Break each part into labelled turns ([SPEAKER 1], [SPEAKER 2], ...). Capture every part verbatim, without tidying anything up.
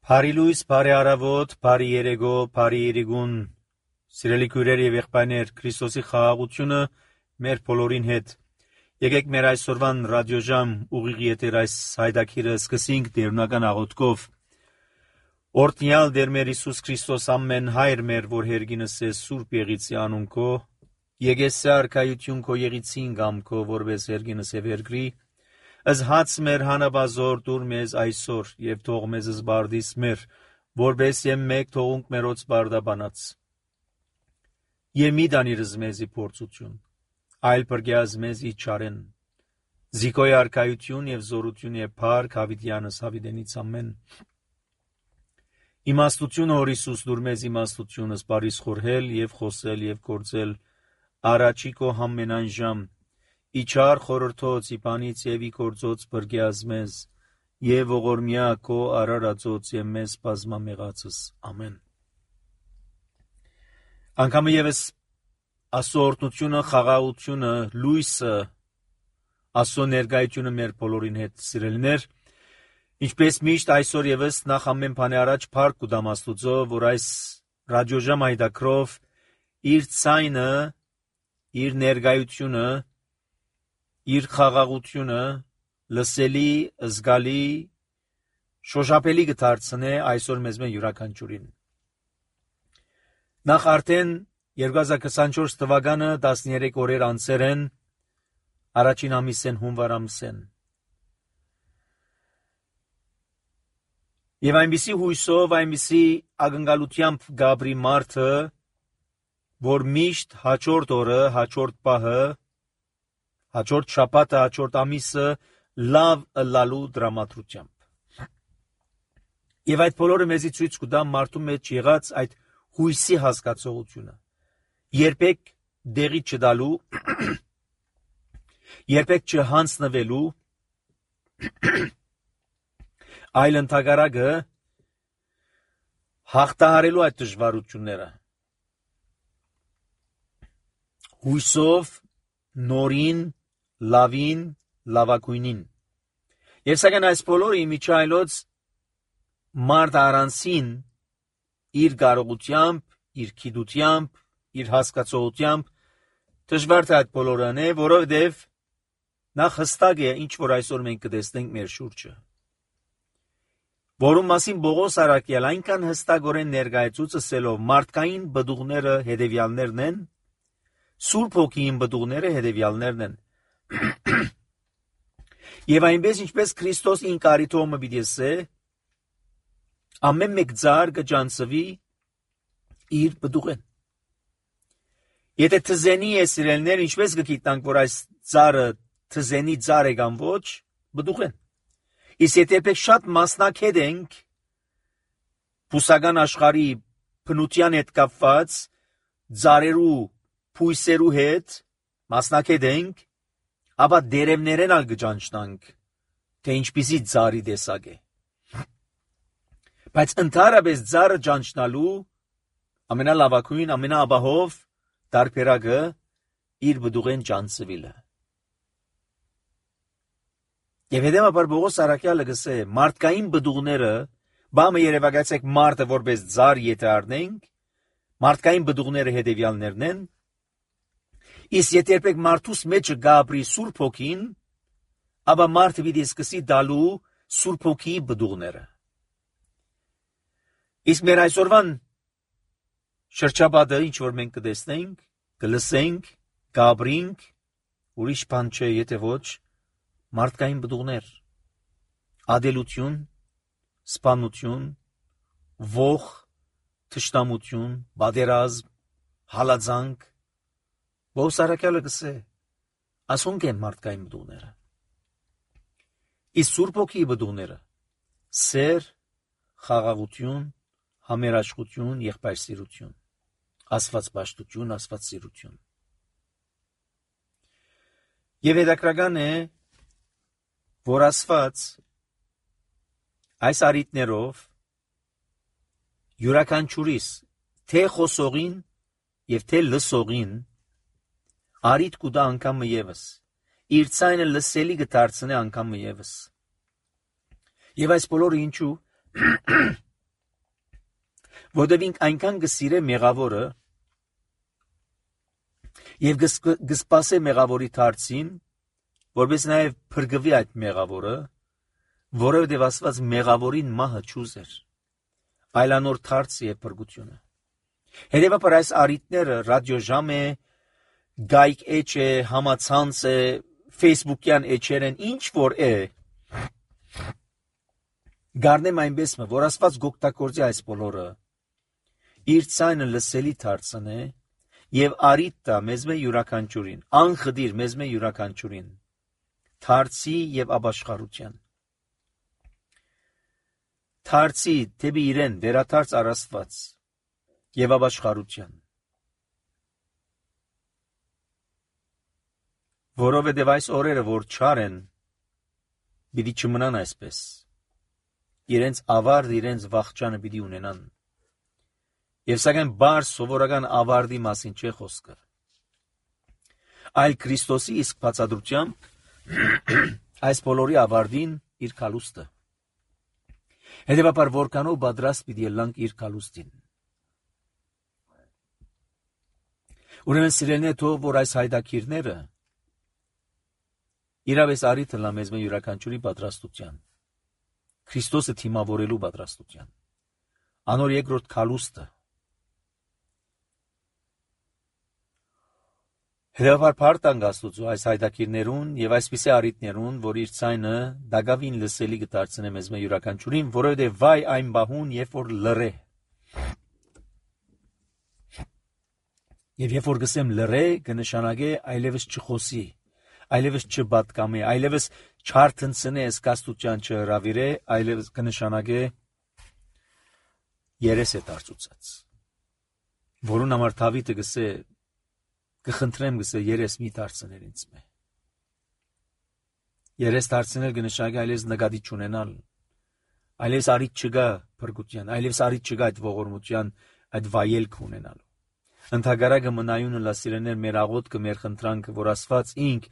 [SPEAKER 1] Բարի լույս, բարի առավոտ, բարի երեկո, բարի երեկոն, սիրելի քույրեր եւ եղբայրներ, Քրիստոսի խաղաղությունը մեր բոլորին հետ։ Եկեք մեր այսօրվան ռադիոժամ ուղիղ եթեր այս հայդակիրը սկսենք դերունական աղոթքով։ Օրհնյալ Տեր մեր Հիսուս Քրիստոս ամեն հայր մեր, որ հերգինս է Սուրբ Եղիցի անունքո, եկես արքայություն քո Եղիցին գամքո, որպես հերգինս է վերգրի, Ըզ հաց մեր հանաբազոր դուր մեզ այսօր և թող մեզ զբարդիս մեր, որպես եմ մեկ թողունք մերոց բարդաբանած։ Եվ մի դանիրыз մեզի փորձություն, այլ պրգյազ մեզի չարեն, զիկոյ արքայություն և զորություն և փառք հավիտյանս հավիտենից ամեն։ Իմաստություն հոր Հիսուս դուր մեզ իմաստությունս բարիս խորհել և խոսել և գործել առաջի քո համենայն ժամ, Իչար խորհրդոց իպանից և ի գործոց բրգյազ մեզ, և ողորմյա քո արարածոց և մեզ բազմամեղացս, ամեն։ Անգամը ևս Աստծո օրհնությունը, խաղաղությունը, լույսը, Աստծո ներկայությունը մեր բոլորին հետ, սիրելիներ, ինչպես միշտ այսօր ևս նախ ամեն բանի առաջ փառք կուտամ Աստուծո, որ այս ռադիոժամ հայդակրով իր ցայնը, իր ներկայությունը, իր խաղաղությունը լսելի, զգալի, շոշափելի կդարձնե այսօր մեզ մեն յուրաքանչյուրին։ Նախ արդեն երկու հազար քսանչորս թվականը տասներեք օրեր անցեր են, առաջին ամիսեն հունվար ամսեն։ Եվ այնպիսի հույսով, այնպիսի ակնկալությամբ գաբրի մարդը, որ միշտ հաջորդ օրը, հաջորդ պահը, հաջորդ շաբաթը, հաջորդ ամիսը լավ ըլլալու դրամատրությամբ։ Եվ այդ բոլորը մեզի ցույց կտա մարդու մեջ եղած այդ հույսի հասկացողությունը։ Երբեք դեղի չտալու, երբեք չհանձնվելու, այլ ընդհակառակը հաղթահարելու այդ դժվարությունները։ Հույսով, նորին, լավին, լավագույնին։ Եվ սակայն այս բոլորը իմիջայլոց մարդ առանցին իր կարողությամբ, իր գիտությամբ, իր հասկացողությամբ դժվար թե այդ բոլորը անե, որովհետև նախ հստակ է, ինչ որ այսօր մենք կտեսնենք մեր շուրջը։ Որում մասին Պողոս առաքյալ այնքան հստակորեն ներկայացուց ասելով մարդկային բդուղները հետևյալներն են, Սուրբ Հոգիին բդուղները հետևյալներն են։ Եվ այնպես ինչպես Քրիստոս ինքարիթոմը պիտի ասե, ամեն մեկ ծառ կջանցվի իր բդուղեն։ Եթե թզենի է սիրելներ, ինչպես կգիտնանք, որ այս ծառը թզենի ծառ է կամ ոչ, բդուղեն։ Իսկ եթե երբեք շատ մասնակետ ենք բուսական աշխարհի բնության հետ կապված ծառերու, փույսերու հետ մասնակետ ենք, ապա դերևներեն ալ կճանչնանք, թե ինչպիսի ծառի տեսակ է։ Բայց ընդհանրապես ծառը ճանչնալու ամենալավագույն, ամենաաբահով տարբերակը իր բդուղեն ճանցվելը։ Եվ հետևաբար Պողոս առաքյալը գսե մարդկային բդուղները, բամը երևակայեցեք մարդը որպես ծառ եթե առնենք, մարդկային բդուղները հետևյալներն են, իսկ եթե երբեք մարդուս մեջը գաբրի Սուրբ Հոգին, ապա մարդը պիտի սկսի տալու Սուրբ Հոգիի բդուղները։ Իսկ մեր այսօրվան շրջապատը, ինչ որ մենք կտեսնենք, կլսենք, գաբրինք, ուրիշ բան չէ, եթե ոչ մարդկային բդուղներ, ադելություն, սպանություն, ոխ, թշնամություն, բادرազմ, հալածանք, Պողոս առաքյալը գսե, ասոնք են մարդկային բդուղները։ Իսկ Սուրբ Հոգիի բդուղները սեր, խաղաղություն, համերաշխություն, եղբայրսիրություն, աստվածպաշտություն, աստվածսիրություն։ Եվ հետաքրքրական է, որ Աստված այս առիթներով յուրաքանչյուրիս թե խոսողին եւ թե լսողին արիթ կուտա անգամը ևս, իր ցայնը լսելի կդարձնե անգամը ևս։ Եվ այս բոլորը ինչու, Որտև ինք այնքան կսիրե մեղավորը եւ կսպասե մեղավորի դարձին, որպես նաև փրկվի այդ մեղավորը, որովհետև Աստված մեղավորին մահը չուզեր, այլ անոր դարձ եւ փրկությունը։ Հետևաբար այս առիթները ռադիոժամ է, գայք էջ է, համացանց է, Facebook-յան էջեր են, ինչ որ է, գարնեմ այնպես մը, որ Աստված գօգտագործի այս բոլորը, իր ցայնը լսելի դարձնե եւ առիթ տա մեզ մե յուրաքանչյուրին, անխդիր մեզ մե յուրաքանչյուրին, դարձի եւ ապաշխարության։ Դարձի դեպի իրեն վերադարձ առաստված եւ ապաշխարության։ Որովհետև այս օրերը, որ չար են, պիտի չմնան այսպես։ Իրենց ավարտ, իրենց վախճանը պիտի ունենան։ Եվ սակայն բար սովորական ավարտի մասին չէ խոսքը։ Այլ Քրիստոսի իսկ բացատրությամբ այս բոլորի ավարտին իր կալուստը։ Հետևաբար որքանով պատրաստ պիտի ելանք իր կալուստին։ Ուրեմն սիրելիներ, թող որ այս հայտակիրները իրավես առիթ լա մեզ մե յուրաքանչյուրի պատրաստության, Քրիստոսը թիմավորելու պատրաստության, անոր երկրորդ կալուստը։ Հետևաբար փառք Աստծո այս հայտակիրներուն եւ այսպիսի առիթներուն, որ իր ցայնը դակավին լսելի կդարձնե մեզ մե յուրաքանչյուրին, որովհետեւ վայ այն բահուն, երբ որ լռե։ Եվ երբ որ գսեմ լռե, կնշանակե այլևս չխոսի, այլևս չբատկամի, այլևս չարթնցնե, սկաստության չհրավիրե, այլևս կնշանակե երես է դարձուցած։ Որուն համար Դավիթը գսե կխնդրեմ գսե երես մի դարձնել ինձ մե։ Երես դարձնել կնշանակե այլևս նկատի չունենալ, այլևս առիթ չկա փրկության, այլևս առիթ չկա այդ ողորմության, այդ վայելք ունենալու։ Ընդհակառակը մնայունը լասիրեներ մեր աղոթքը, մեր խնդրանքը, որ Աստված ինք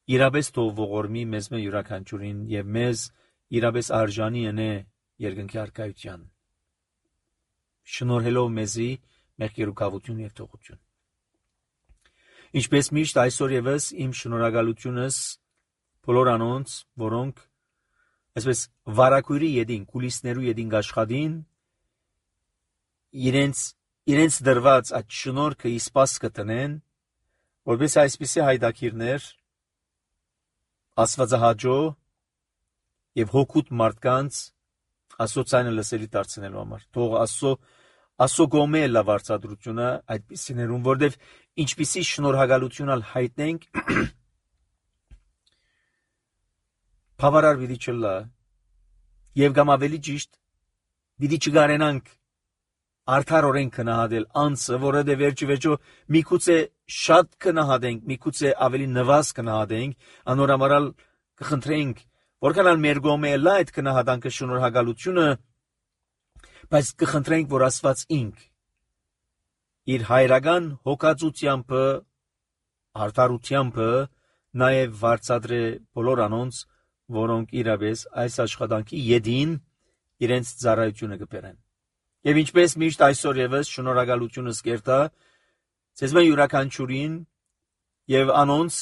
[SPEAKER 1] իրապես թող ողորմի մեզ մե յուրաքանչյուրին եւ մեզ իրապես արժանի ընե երկնքի արքայության, շնորհելով մեզի մեր կերուկավություն եւ թողություն։ Ինչպես միշտ այսօր եւս իմ շնորհակալությունս բոլոր անոնց, որոնք այսպես վարակույրի յետին, կուլիսներու յետին աշխատին, իրենց իրենց դրված այդ շնորհքը իսպաս կտնեն, որպես այսպիսի հայտակիրներ աստվածահաճո եւ հոգուտ մարդկանց Աստծո ցայնը լսելի դարձնելու համար։ Թող Աստծո Աստծո գոմե լա վարձատրությունը այդպիսիներուն, որտեվ ինչպիսի շնորհակալություն ալ հայտնենք, բավարար պիտի չլա, եւ կամ ավելի ճիշտ պիտի չգարենանք արդարորեն քնահատել անձը, որովհետև վերջիվերջո միգուցե շատ քնահատենք, միգուցե ավելի նվազ քնահատենք, անորամարալ կխնդրենք, որքան մեր գոմե լա այդ քնահատանքը շնորհակալությունը, բայց կխնդրենք, որ Աստված ինք իր հայրական հոգածությամբ, արդարությամբ նաև վարձատրե բոլոր անոնց, որոնք իրապես այս աշխատանքի յետին իրենց ծառայությունը կբերեն։ Եվ ինչպես միշտ այսօր եւս շնորհակալությունս կերտա ցեզ մե յուրաքանչյուրին եւ անոնց,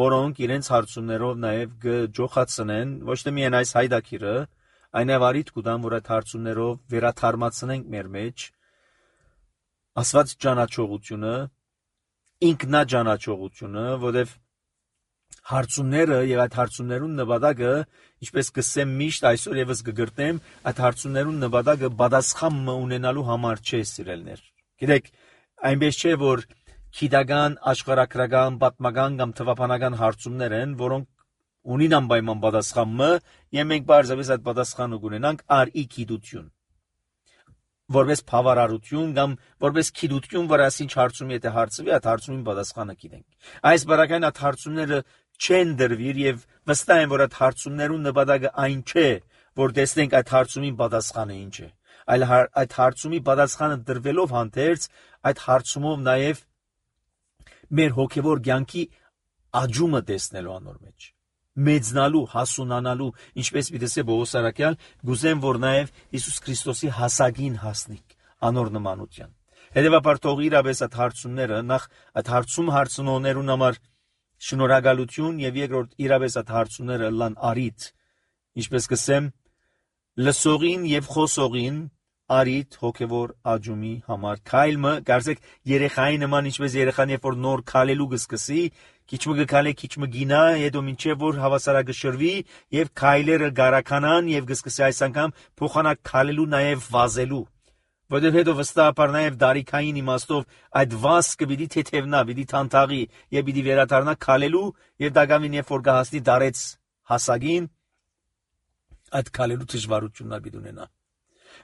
[SPEAKER 1] որոնք իրենց հարցումներով նաեւ կջոխացնեն ոչ թե միայն այս հայտակիրը, այնև արիթ կուտան, որ այդ հարցումներով վերաթարմացնենք մեր մեջ Աստված ճանաչողությունը, ինքնաճանաչողությունը, որովհետեւ հարցումները եւ այդ հարցումներուն նպատակը, ինչպես կսեմ միշտ այսօր եւս կգրտեմ, այդ հարցումներուն նպատակը պատասխան ունենալու համար չէ, սիրելներ։ Գիտեք, այնպես չէ, որ քիդական, աշխարհակրական, պատմական կամ թվապանական հարցումներ են, որոնք ունին անպայման պատասխանը, եւ մենք բարձրապես այդ պատասխանը կունենանք արի գիտություն։ Որպես բավարարություն կամ որպես գիտություն, որ ասինչ հարցումի եթե հարցվի, այդ հարցումին պատասխանը գիտենք։ Այս բարակային այդ հարցումները չեն դրվիր եւ վստահ եմ, որ այդ հարցումներուն նպատակը այն չէ, որ տեսնենք այդ հարցումին պատասխանը ինչ է, այլ այդ հարցումի պատասխանը դրվելով հանդերձ, այդ հարցումով նաեւ մեր հոգեվոր կյանքի աճումը տեսնելու անոր մեջ, մեծնալու, հասունանալու, ինչպես պիտի ասե Պողոս Արաքյալ, գուզեմ, որ նաեւ Հիսուս Քրիստոսի հասակին հասնիկ, անոր նմանության։ Հետևաբար թող իրապես այդ հարցումները նախ այդ հարցում հարցնողներուն համար շնորհակալություն եւ երկրորդ իրապես այդ հարցումները լան արիթ, ինչպես կսեմ, լսողին եւ խոսողին արիթ հոգեվոր աջումի համար։ Քայլը կարծեք երեխայի նման, ինչպես երեխան երբ որ նոր քալելու գսկսի, քիչմը գքալե, քիչմը գինա, հետո մինչև որ հավասարակշռվի եւ քայլերը գարականան եւ գսկսի այս անգամ փոխանակ քալելու նաեւ վազելու։ Որովհետև հետո վստահաբար նաև դարիքային իմաստով այդ վազքը պիտի թեթևնա, պիտի թանթաղի եւ պիտի վերադառնա քալելու եւ դակամին երբ որ կհասնի դարեց հասակին, այդ քալելու դժվարությունն պիտի ունենա։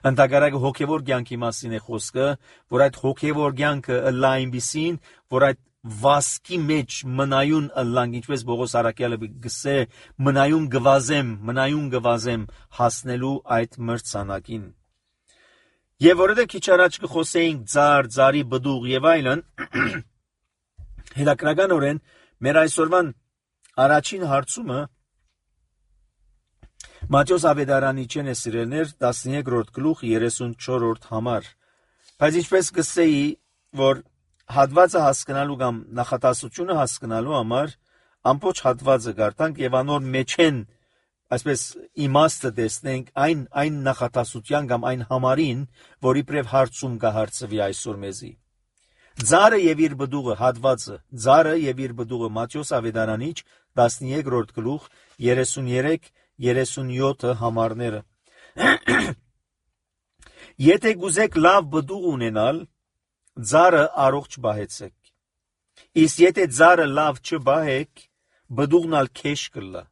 [SPEAKER 1] Ընդհակառակը հոգեվոր կյանքի մասին է խոսքը, որ այդ հոգեվոր կյանքը ըլլա այնպիսին, որ այդ վազքի մեջ մնայուն ըլլանք, ինչպես Պողոս առաքյալը գսե, մնայուն գվազեմ, մնայուն գվազեմ հասնելու այդ մրցանակին։ Եվ որովհետև քիչ առաջ կխոսեինք ծար, ծարի բդուղ եւ այլն, հետաքրքրականորեն մեր այսօրվան առաջին հարցումը Մատթեոս Ավետարանիչեն է սիրելներ տասներկրորդ գլուխ երեսունչորրորդ համար։ Բայց ինչպես կսեի, որ հատվածը հասկանալու կամ նախատասությունը հասկանալու համար ամբողջ հատվածը գարտանք եւ անոր մեջ են այսպես իմաստը տեսնենք այն այն նախատասության կամ այն համարին, որի պրև հարցում կհարցվի այսօր մեզի։ Ձարը եւ իր բդուղը հատվածը, ձարը եւ իր բդուղը Մատթեոս Ավետարանիչ տասներկրորդ գլուխ երեսուներեք երեսունյոթ համարները։ Եթե գուզեք լավ բդուղ ունենալ, ձարը առողջ բահեցեք։ Իսկ եթե ձարը լավ չբահեք, բդուղն ալ քեշ կլա։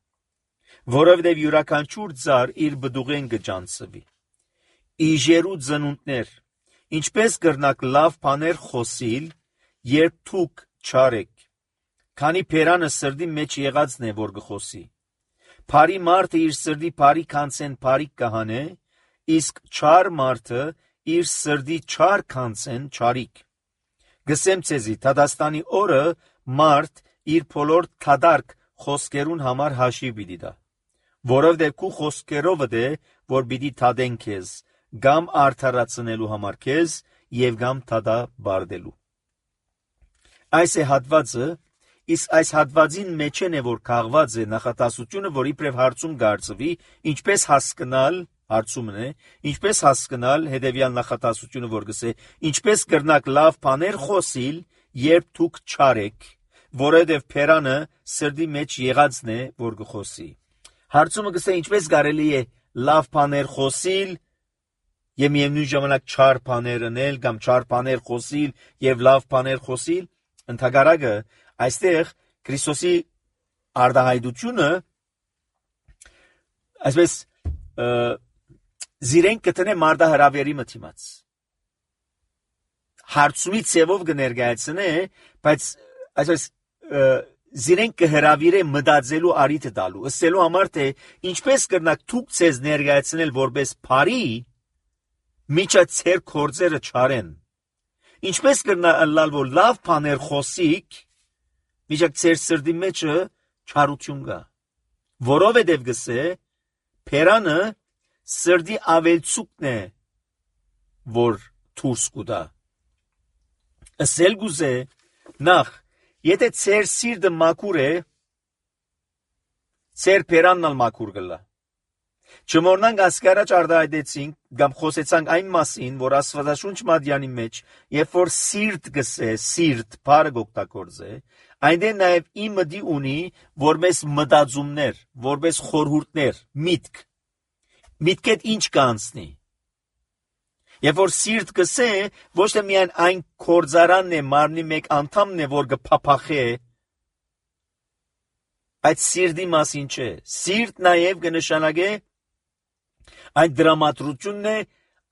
[SPEAKER 1] Որովհետև յուրաքանչյուր ձար իր բդուղեն կջանցվի։ Իժերու ծնունդներ, ինչպես կրնակ լավ բաներ խոսիլ, երբ դուք չարեք, քանի փերանը սրդի մեջ եղածն է, որ կխոսի։ Փարի մարդը իր սրդի փարի քանցեն փարի կհանե, իսկ չար մարդը իր սրդի չար քանցեն չարիք։ Գսեմ ցեզի, Թադաստանի օրը մարդ իր բոլոր թադարք խոսքերուն համար հաշիվ պիտի տա, որովհետև քու խոսքերով է, որ պիտի թադեն քեզ, գամ արդարացնելու համար քեզ եւ գամ թադա բարդելու։ Այս է հատվածը, իսկ այս հատվածին մեջ է, որ քաղված է նախատասությունը, որի պրև հարցում գարցվի, ինչպես հասկանալ, հարցումն է, ինչպես հասկանալ հետևյալ նախատասությունը, որ գսե, ինչպես կրնակ լավ բաներ խոսիլ, երբ դուք չարեք, որովհետև փերանը սրդի մեջ եղածն է, որ կխոսի։ Հարցումը գսե, ինչպես կարելի է լավ բաներ խոսիլ եւ միևնույն ժամանակ չար բաներ անել կամ չար բաներ խոսիլ եւ լավ բաներ խոսիլ։ Ընդհակառակը այստեղ Քրիստոսի արդահայտությունը այսպես զիրենք կտնե մարդահրավերի մտիմաց։ Հարցումի ցևով կներկայացնե, բայց այսպես զիրենք կհրավիրե մտածելու արիթը տալու, ըսելու համար թե ինչպես կրնակ դուք ցեզ ներկայացնել որպես բարի, միջա ցեր կորձերը չարեն։ Ինչպես կրնալ որ լավ բաներ խոսիկ, միջա ցեր սրդի մեջը չարություն կա։ Որովհետև գսե փերանը սրդի ավելցուկն է, որ դուրս կուտա։ Ասել գուզե նախ, եթե ցեր սիրտը մաքուր է, ցեր փերանն ալ մաքուր կլա։ Չմոռնանք ասկարաճ արդահայտեցինք կամ խոսեցանք այն մասին, որ Աստվածաշունչ մատյանի մեջ, երբ որ սիրտ գսե, սիրտ բառը օգտագործե, այնտեղ նաև իմդի ունի որպես մտածումներ, որպես խորհուրդներ, միտք։ Միտքեդ ինչ կանցնի։ Երբ որ սիրտ գսե, ոչ թե միայն այն կորձարանն է, մարմնի մեկ անդամն է, որ կփափախե, այդ սիրտի մասին չէ։ Սիրտ նաև կնշանակե այն դրամատրությունն է,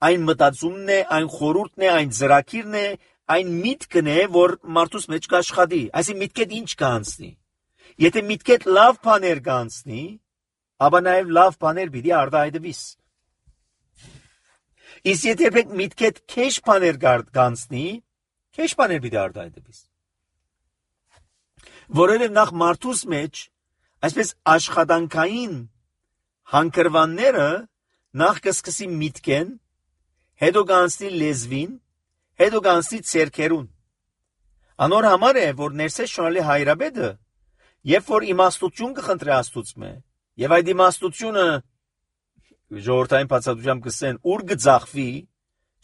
[SPEAKER 1] այն մտածումն է, այն խորհուրդն է, այն ծրագիրն է, այն միտքն է, որ մարդուս մեջ կաշխատի։ Այսինքն միտքեդ ինչ կանցնի։ Եթե միտքեդ լավ բաներ կանցնի, ապա նաև լավ բաներ պիտի արդահայտվիս։ Իսկ եթե միտքեդ քեշ բաներ կանցնի, քեշ բաներ պիտի արդահայտվիս։ Որովհետև նախ մարդուս մեջ այսպես աշխատանքային հանգրվանները նախ կսկսի միտքեն, հետո կանցնի լեզվին, հետո կանցնի ցերքերուն։ Անոր համար է, որ ներսես շնորհալի հայրաբեդը, երբ որ իմաստություն կխնդրի Աստծուց մե, եւ այդ իմաստությունը ժողովրդային բացատրությամբ կսեն ուր գծախվի,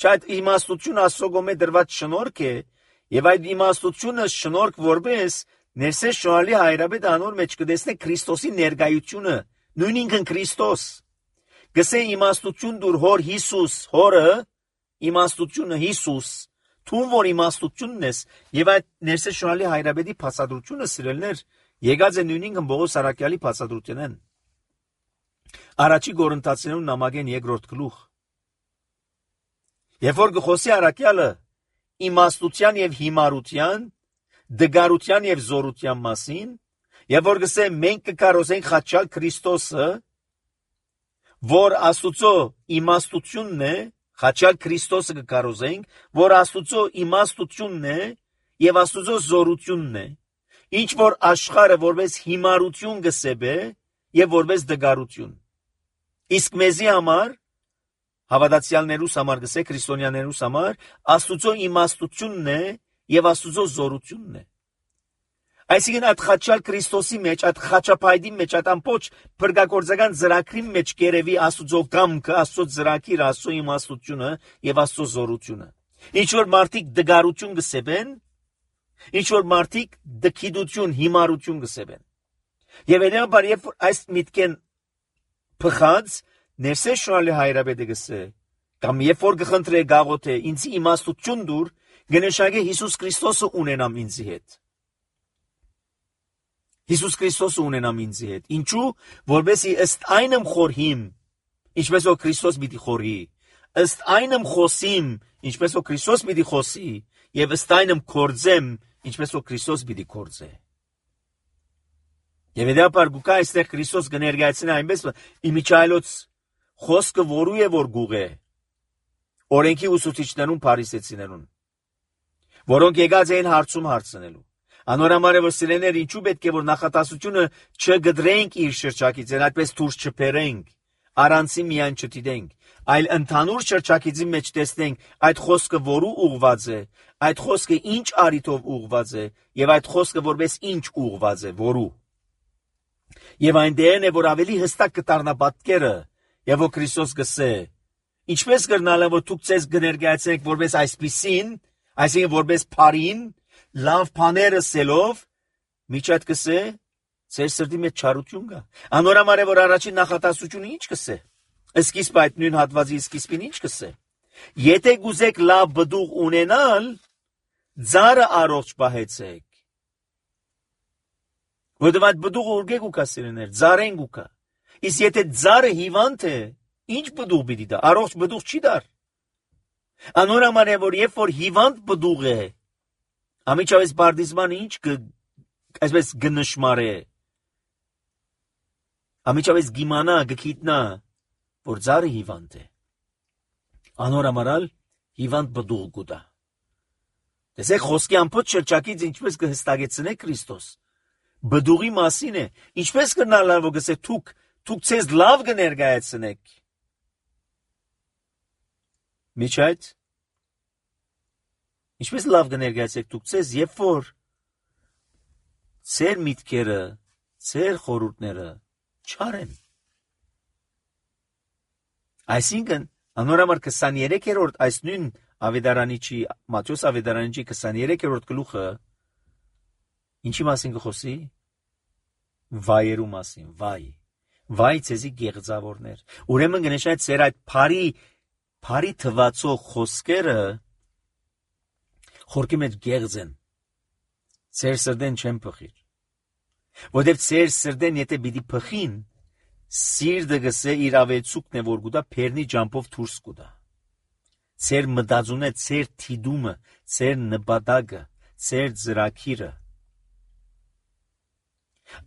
[SPEAKER 1] չէ՞ այդ իմաստությունը Աստծո գոմե դրված շնորհք է, եւ այդ իմաստությունը շնորհք որպես ներսես շնորհալի հայրաբեդը անոր մեջ կտեսնե Քրիստոսի ներկայությունը, նույն ինքն Քրիստոս։ Գսե իմաստություն դուր հոր Հիսուս, հորը իմաստությունը Հիսուս, թուն որ իմաստությունն ես, եւ այդ ներսես շնորհալի հայրաբեդի բացատրությունը սիրելներ եկած է նույն ինքն Բողոս Արաքյալի բացատրությունն։ Առաջի Կորինթացիներուն նամակեն երկրորդ գլուխ։ Երբ որ գխոսի Արաքյալը իմաստության եւ հիմարության, դգարության եւ զորության մասին, եւ որ գսե մենք կկարողենք խաչալ Քրիստոսը, որ Աստուծո իմաստությունն է, խաչալ Քրիստոսը կկարողենք, որ Աստուծո իմաստությունն է եւ Աստուծո զորությունն է, ինչ որ աշխարհը որպես հիմարություն գսեբե եւ որպես դգարություն։ Իսկ մեզի համար հավատացյալներուս համար գսե քրիստոնյաներուս համար Աստուծո իմաստությունն է եւ Աստուծո զորությունն է։ Այսինքն այդ խաչալ Քրիստոսի մեջ, այդ խաչապայդի մեջ, այդ ամբողջ փրկագործական ծրագրի մեջ կերևի Աստուծո կամքը, Աստծո ծրագիրը, Աստծո իմաստությունը եւ Աստծո զորությունը։ Ինչ որ մարդիկ դգարություն գսեբեն, ինչ որ մարդիկ դքիդություն, հիմարություն գսեբեն։ Եվ այնաբար երբ որ այս միտքեն փխած ներսես շնորհալի հայրաբեդը գսե, կամ երբ որ գխնդրե գաղոթե ինձ իմաստություն դուր, գնշագե Հիսուս Քրիստոսը ունենամ ինձի հետ։ Հիսուս Քրիստոսը ունենամ ինձի հետ։ Ինչու? Որովհետեւ ըստ այնմ խորհիմ, ինչպես որ Քրիստոս պիտի խորհի, ըստ այնմ խոսիմ, ինչպես որ Քրիստոս պիտի խոսի, եւ ըստ այնմ կործեմ, ինչպես որ Քրիստոս պիտի կործե։ Եվ դեպար գուկա այստեղ Քրիստոս կներկայացնի այնպես իմիջայլոց խոսքը որու է որ գուղե օրենքի ուսուցիչներուն փարիսեցիներուն, որոնք եկած էին հարցում հարցնելու։ Անորամար է որ սիրեներ ինչու պետք է որ նախատասությունը չգդրենք իր շրջակիցին, այդպես դուրս չփերենք, առանցի միայն չդիտենք, այլ ընդհանուր շրջակիցի մեջ տեսնենք այդ խոսքը որու ուղված է, այդ խոսքը ինչ արիտով ուղված է, եւ այդ խոսքը որպես ինչ ուղված է, որու։ Եվ այն դերն է որ ավելի հստակ կդառնա պատկերը, եւ որ Քրիստոս գսե, ինչպես կրնալը որ դուք ցես կներկայացնեք որպես այսպիսին, այսինքն որպես փարին, լավ բաները սելով, միջատ կսե, ծեր սրտի մեջ չարություն կա։ Անորամար է որ առաջին նախատասությունը ինչ կսե։ Սկիզբ այդ նույն հատվածի սկիզբին ինչ կսե։ Եթե գուզեք լավ բդուղ ունենալ, ձարը առողջ պահեցեք։ Որովհետև այդ բդուղը ուրգե գուկա սիրեներ, ձարեն գուկա։ Իսկ եթե ձարը հիվանդ է, ինչ բդուղ պիտի դա, առողջ բդուղ չի դար։ Անորամար է որ երբ որ հիվանդ բդուղ է, ամիջավես բարձմանը ինչ կը, այսպես գնշմար է, ամիջավես գիմանա, գքիտնա, որ ձարը հիվանդ է։ Անորամարալ հիվանդ բդուղ գուտա։ Տեսեք խոսքի ամբողջ շրջակից ինչպես կհստակեցնե Քրիստոս։ Բդուղի մասին է, ինչպես կնալա որ գսե թուք, թուք ցեզ լավ կներկայացնեք։ Միջայց ինչպես լավ կներկայացեք դուք ցեզ, երբ որ ծեր միտքերը, ծեր խորհուրդները չարեն։ Այսինքն անորամար քսաներեքերորդ այս նույն Ավետարանիչի Մատթեոս Ավետարանիչի քսաներեքերորդ գլուխը ինչի մասին կխոսի։ Վայերու մասին, վայ։ Վայ ցեզի գեղձավորներ։ Ուրեմն գնեշայ ծեր այդ բարի բարի թվացող խոսքերը խորքի մեջ գեղձ են, ծեր սրդեն չեն փխիր, որտեվ ծեր սրդեն եթե պիտի փխին, սիրտը գսե իր ավեցուկն է որ գուտա փերնի ջամփով դուրս գուտա, ծեր մտածունը, ծեր թիդումը, ծեր նպատակը, ծեր ծրագիրը,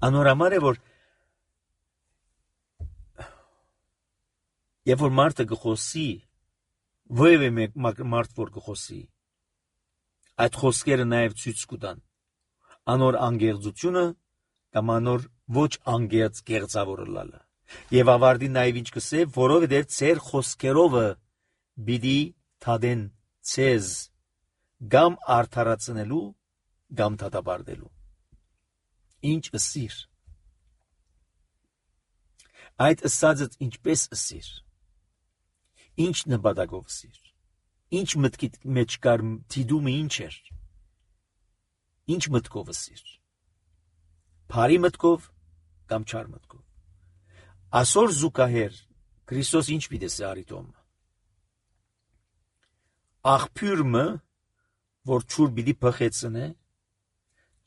[SPEAKER 1] անորամար է որ երբ որ մարդը գխոսի, ովևէ մարդ որ գխոսի, այդ խոսքերը նաև ցույց կտան անոր անգեղծությունը կամ անոր ոչ անգեղծ գեղձավորը լալը։ Եվ ավարտի նաև ինչ կսե, որովհետև ծեր խոսքերովը պիտի թադեն ցեզ գամ արդարացնելու գամ դատապարտելու։ Ինչ ըսիր։ Այդ ըսածդ ինչպես ըսիր։ Ինչ նպատակով ըսիր։ Ինչ մտքի մեջ կար դիդումը ինչ էր։ Ինչ մտքով ըսիր։ Բարի մտքով կամ չար մտքով։ Այսօր զուգահեռ Քրիստոս ինչ պիտի ասի Տոմ։ Աղբյուրը, որ ճուր պիտի փխեցնե,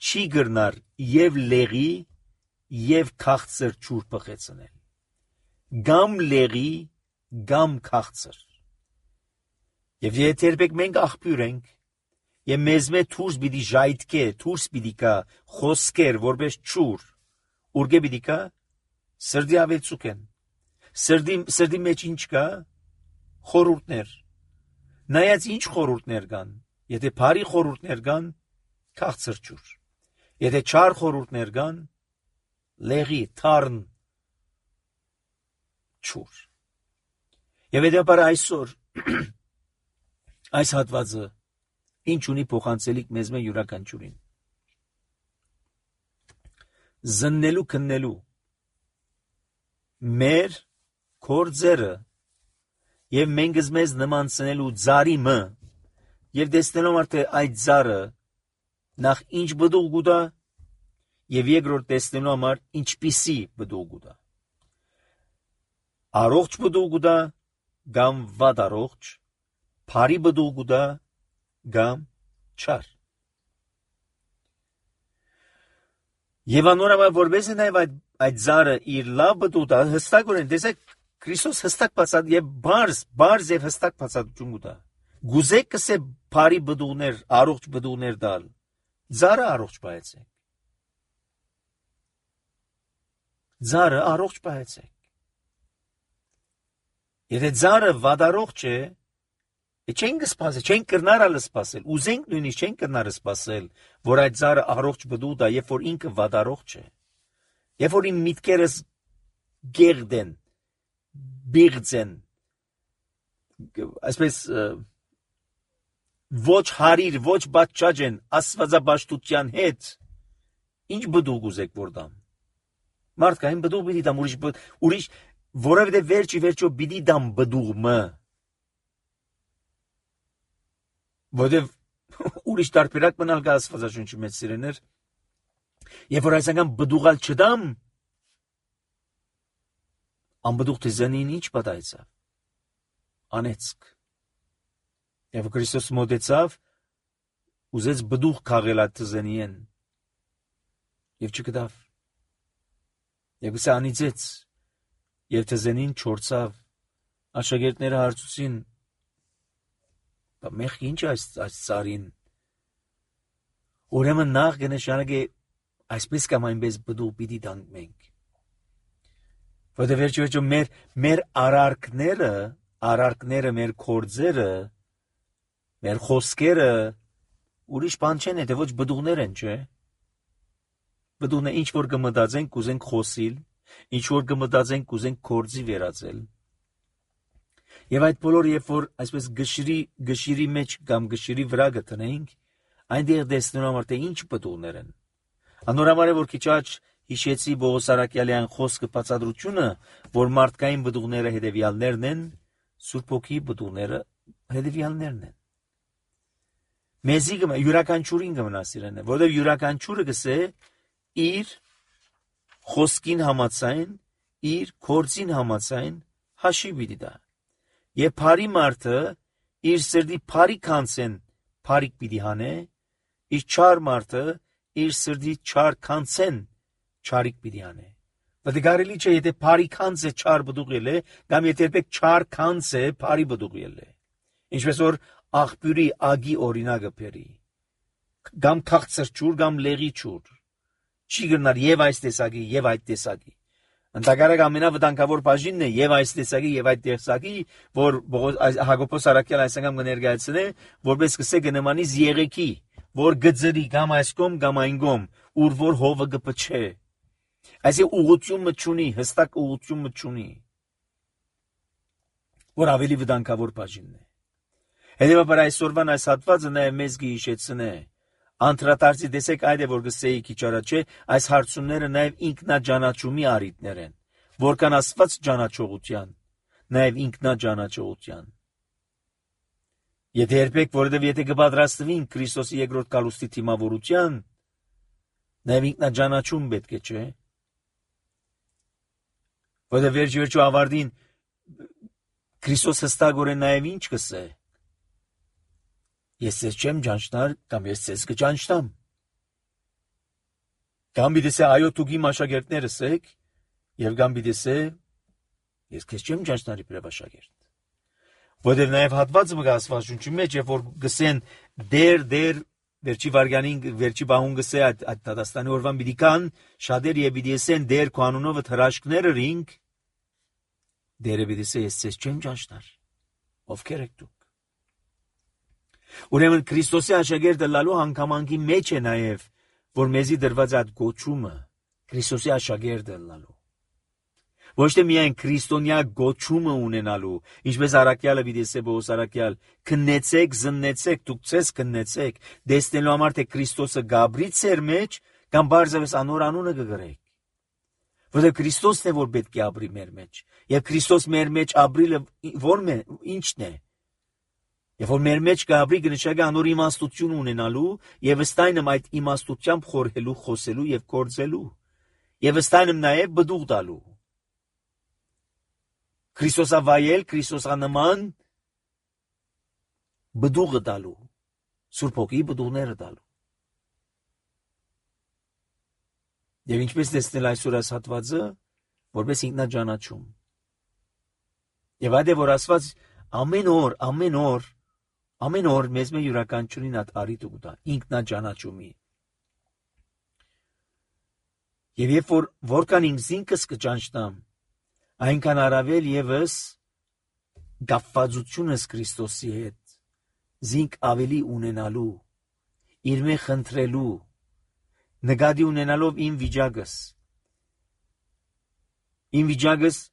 [SPEAKER 1] չի գրնար եւ լեղի եւ քաղցր ճուր փխեցնել։ Գամ լեղի, գամ քաղցր։ Եվ եթե երբեք մենք աղբյուր ենք, եւ մեզ մե թուրս պիտի ժայթքե, թուրս պիտի կա խոսքեր, որպես ճուր, ուրգե պիտի կա սրդի ավելցուկեն։ Սրդի սրդի մեջ ինչ կա խորուրդներ։ Նայած ինչ խորուրդներ կան։ Եթե բարի խորուրդներ կան, քաղցր ճուր։ Եթե չար խորուրդներ կան, լեղի, թարն ճուր։ Եվ դեպար այսօր այս հատվածը ինչ ունի փոխանցելիք մեզ մե յուրաքանչյուրին։ Զննելու քննելու մեր կորձերը եւ մենք մեզ նմանցնելու ծարի մը եւ տեսնելով արդե այդ ծարը նախ ինչ բդուղ գուտա եւ երկրորդ տեսնելու համար ինչպիսի բդուղ գուտա։ Առողջ բդուղ գուտա կամ վատ առողջ, բարի բդուղ գուտա կամ չար։ Եվ անորամա որպես նաև այդ այդ ծառը իր լավ բդուղը հստակորեն տեսեք Քրիստոս հստակ բացատ եւ բարձ բարձ եւ հստակ բացատություն կտա։ Գուզեք կսե բարի բդուղներ, առողջ բդուղներ դալ։ Ծառը առողջ բայեցեք։ Ծառը առողջ բայեցեք։ Եթե ծառը վադարողջ է, չեն կսպասել, չեն կրնարալ սպասել, ուզենք նույնիսկ չեն կրնարը սպասել, որ այդ ծառը առողջ բդուղ է, երբ որ ինքը վադարողջ է։ Երբ որ իմ միտքերս գերդեն, բիղձեն, այսպես ոչ հարիր, ոչ բաճաճ են աստվածաբաշխության հետ, ինչ բդուղ ուզեք որ դամ։ Մարդկային բդուղ պիտի դամ, ուրիշ, ուրիշ, որովհետև վերջի վերջո պիտի դամ բդուղը, որովհետև ուրիշ տարբերակ մնալ կա աստվածաշունչի մեջ սիրեներ, երբ որ այս անգամ բդուղալ չդամ, անբդուղ թեզանին ինչ պատահեցավ, անեցք, եւ Քրիստոս մոտեցավ, ուզեց բդուղ քաղել այդ թեզանին, եւ չգտավ, եւ գսե անիծեց, եւ թեզանին չորցավ, աշակերտները հարցուցին, մեղ ինչ այս ծառին, ուրեմն նախ կնշանակե այսպես կամ այնպես բդուղ պիտի տանք մենք, որտեղ վերջի վերջո մեր մեր արարքները, արարքները մեր կորձերը, մեր խոսքերը ուրիշ բան չեն, եթե ոչ բդուղներ են, չէ։ Բդուղն է ինչ որ կմտածենք կուզենք խոսիլ, ինչ որ կմտածենք կուզենք կորձի վերածել։ Եվ այդ բոլորը երբ որ այսպես գշիրի գշիրի մեջ կամ գշիրի վրա գտնենք, այնտեղ տեսնում համար թե ինչ բդուղներ են։ Անորամար է որ քիչ աջ հիշեցի Պողոս Արաքյալյան խոսքը բացատրությունը, որ մարդկային բդուղները հետևյալներն են, Սուրբ Հոգի բդուղները հետևյալներն են։ Մեզի գմա յուրաքանչյուրին գմնասիրեն, որովհետև յուրաքանչյուրը գսե իր խոսքին համաձայն, իր կորձին համաձայն հաշի պիտի տա։ Եվ բարի մարդը իր սրտի բարի քանցեն բարիք պիտի հանե, իր չար մարդը իր սրտի չար քանցեն չարիք պիտի հանե։ Բայց կարելի չէ եթե բարի քանցը չար բդուղ ելե, կամ եթե երբեք չար քանցը բարի բդուղ ելե։ Ինչպես որ աղբյուրի ագի օրինակը բերի։ Կամ քաղցր ճուր, կամ լեղի ճուր։ Չի գնար եւ այս տեսակի, եւ այդ տեսակի։ Ընդհանրապես ամենավտանգավոր բաժինն է եւ այս տեսակի եւ այդ տեսակի, որ Հակոբոս Արաքյալ այս անգամ կներկայացնե, որպես կսե գնմանից եղեքի, որ գծրի կամ այս կողմ կամ այն կողմ, ուր որ հովը կփչե։ Այսինքն ուղղությունը չունի, հստակ ուղղությունը չունի, որ ավելի վտանգավոր բաժինն է։ Հետևաբար այսօրվան այս հատվածը նաև մեզ գիշեցնե։ Անդրադարձի տեսեք այդ է, որ գսեի քիչ առաջ է, այս հարցումները նաև ինքնաջանաչումի առիթներ են, որքան Աստված ճանաչողության, նաև ինքնաջանաչողության։ Եթե երբեք, որովհետև եթե կպատրաստվին Քրիստոսի երկրորդ գալուստի թիմավորության, նաև ինքնաջանաչում պետք է, չէ՞։ Որովհետև վերջ-վերջու ավարտին Քրիստոս հստակորեն նաև ինչ կսե։ Ես ձեզ չեմ ճանչնար, կամ ես ձեզ կճանչնամ։ Կամ պիտի ասե, այո, դուք իմ աշակերտներս եք, եւ կամ պիտի ասե, ես քեզ չեմ ճանչնար իբրև աշակերտ։ Որովհետև նաև հատվածը մգա Աստվածաշունչի մեջ, երբ որ գսեն դեր դեր վերջի վարգանին վերջի բահուն գսե այդ այդ դատաստանի օրվան պիտի կան շատեր եւ պիտի ասեն դեր քո անունով հրաշքները ռինգ դերը պիտի ասե ես ձեզ չեմ ճանչնար։ Ովքեր եք դուք։ Ուրեմն Քրիստոսի աշակերտը լալու հանգամանքի մեջ է նաև, որ մեզի դրված այդ գոչումը Քրիստոսի աշակերտը լալու։ Ոչ թե միայն քրիստոնյա գոչումը ունենալու, ինչպես Արաքյալը պիտի ասե Պողոս Արաքյալ, քննեցեք, զննեցեք, դուք ցես քննեցեք, դեսնելու համար թե Քրիստոսը գաբրի ծեր մեջ, կամ բարձրապես անոր անունը կգրեք։ Որտեղ Քրիստոսն է, որ պետք է ապրի մեր մեջ, եւ Քրիստոս մեր մեջ ապրիլը ո՞րն է, ի՞նչն է։ Եվ որ մեր մեջ կապրի կնշանակի անոր իմաստություն ունենալու եւ ըստայնմ այդ իմաստությամբ խորհելու, խոսելու եւ գործելու եւ ըստայնմ նաեւ բդուղ տալու։ Քրիստոսավայել, Քրիստոսանման բդուղը տալու, Սուրբ Հոգի բդուղները տալու։ Եվ ինչպես տեսնել այսօր այս հատվածը, որպես ինքնաջանաչում։ Եվ այդ է որ Աստված ամեն օր, ամեն օր Ամեն օր մեզ մեր յուրաքանչյուրին այդ առիթը կտա ինքնաջանաչումի։ Եվ երբ որ որքան ինքս ինքս կճանչնամ, այնքան առավել եւս գապվածությունս Քրիստոսի հետ, զինք ավելի ունենալու, իր մեջ խնդրելու, նկատի ունենալով իմ վիճակս, իմ վիճակս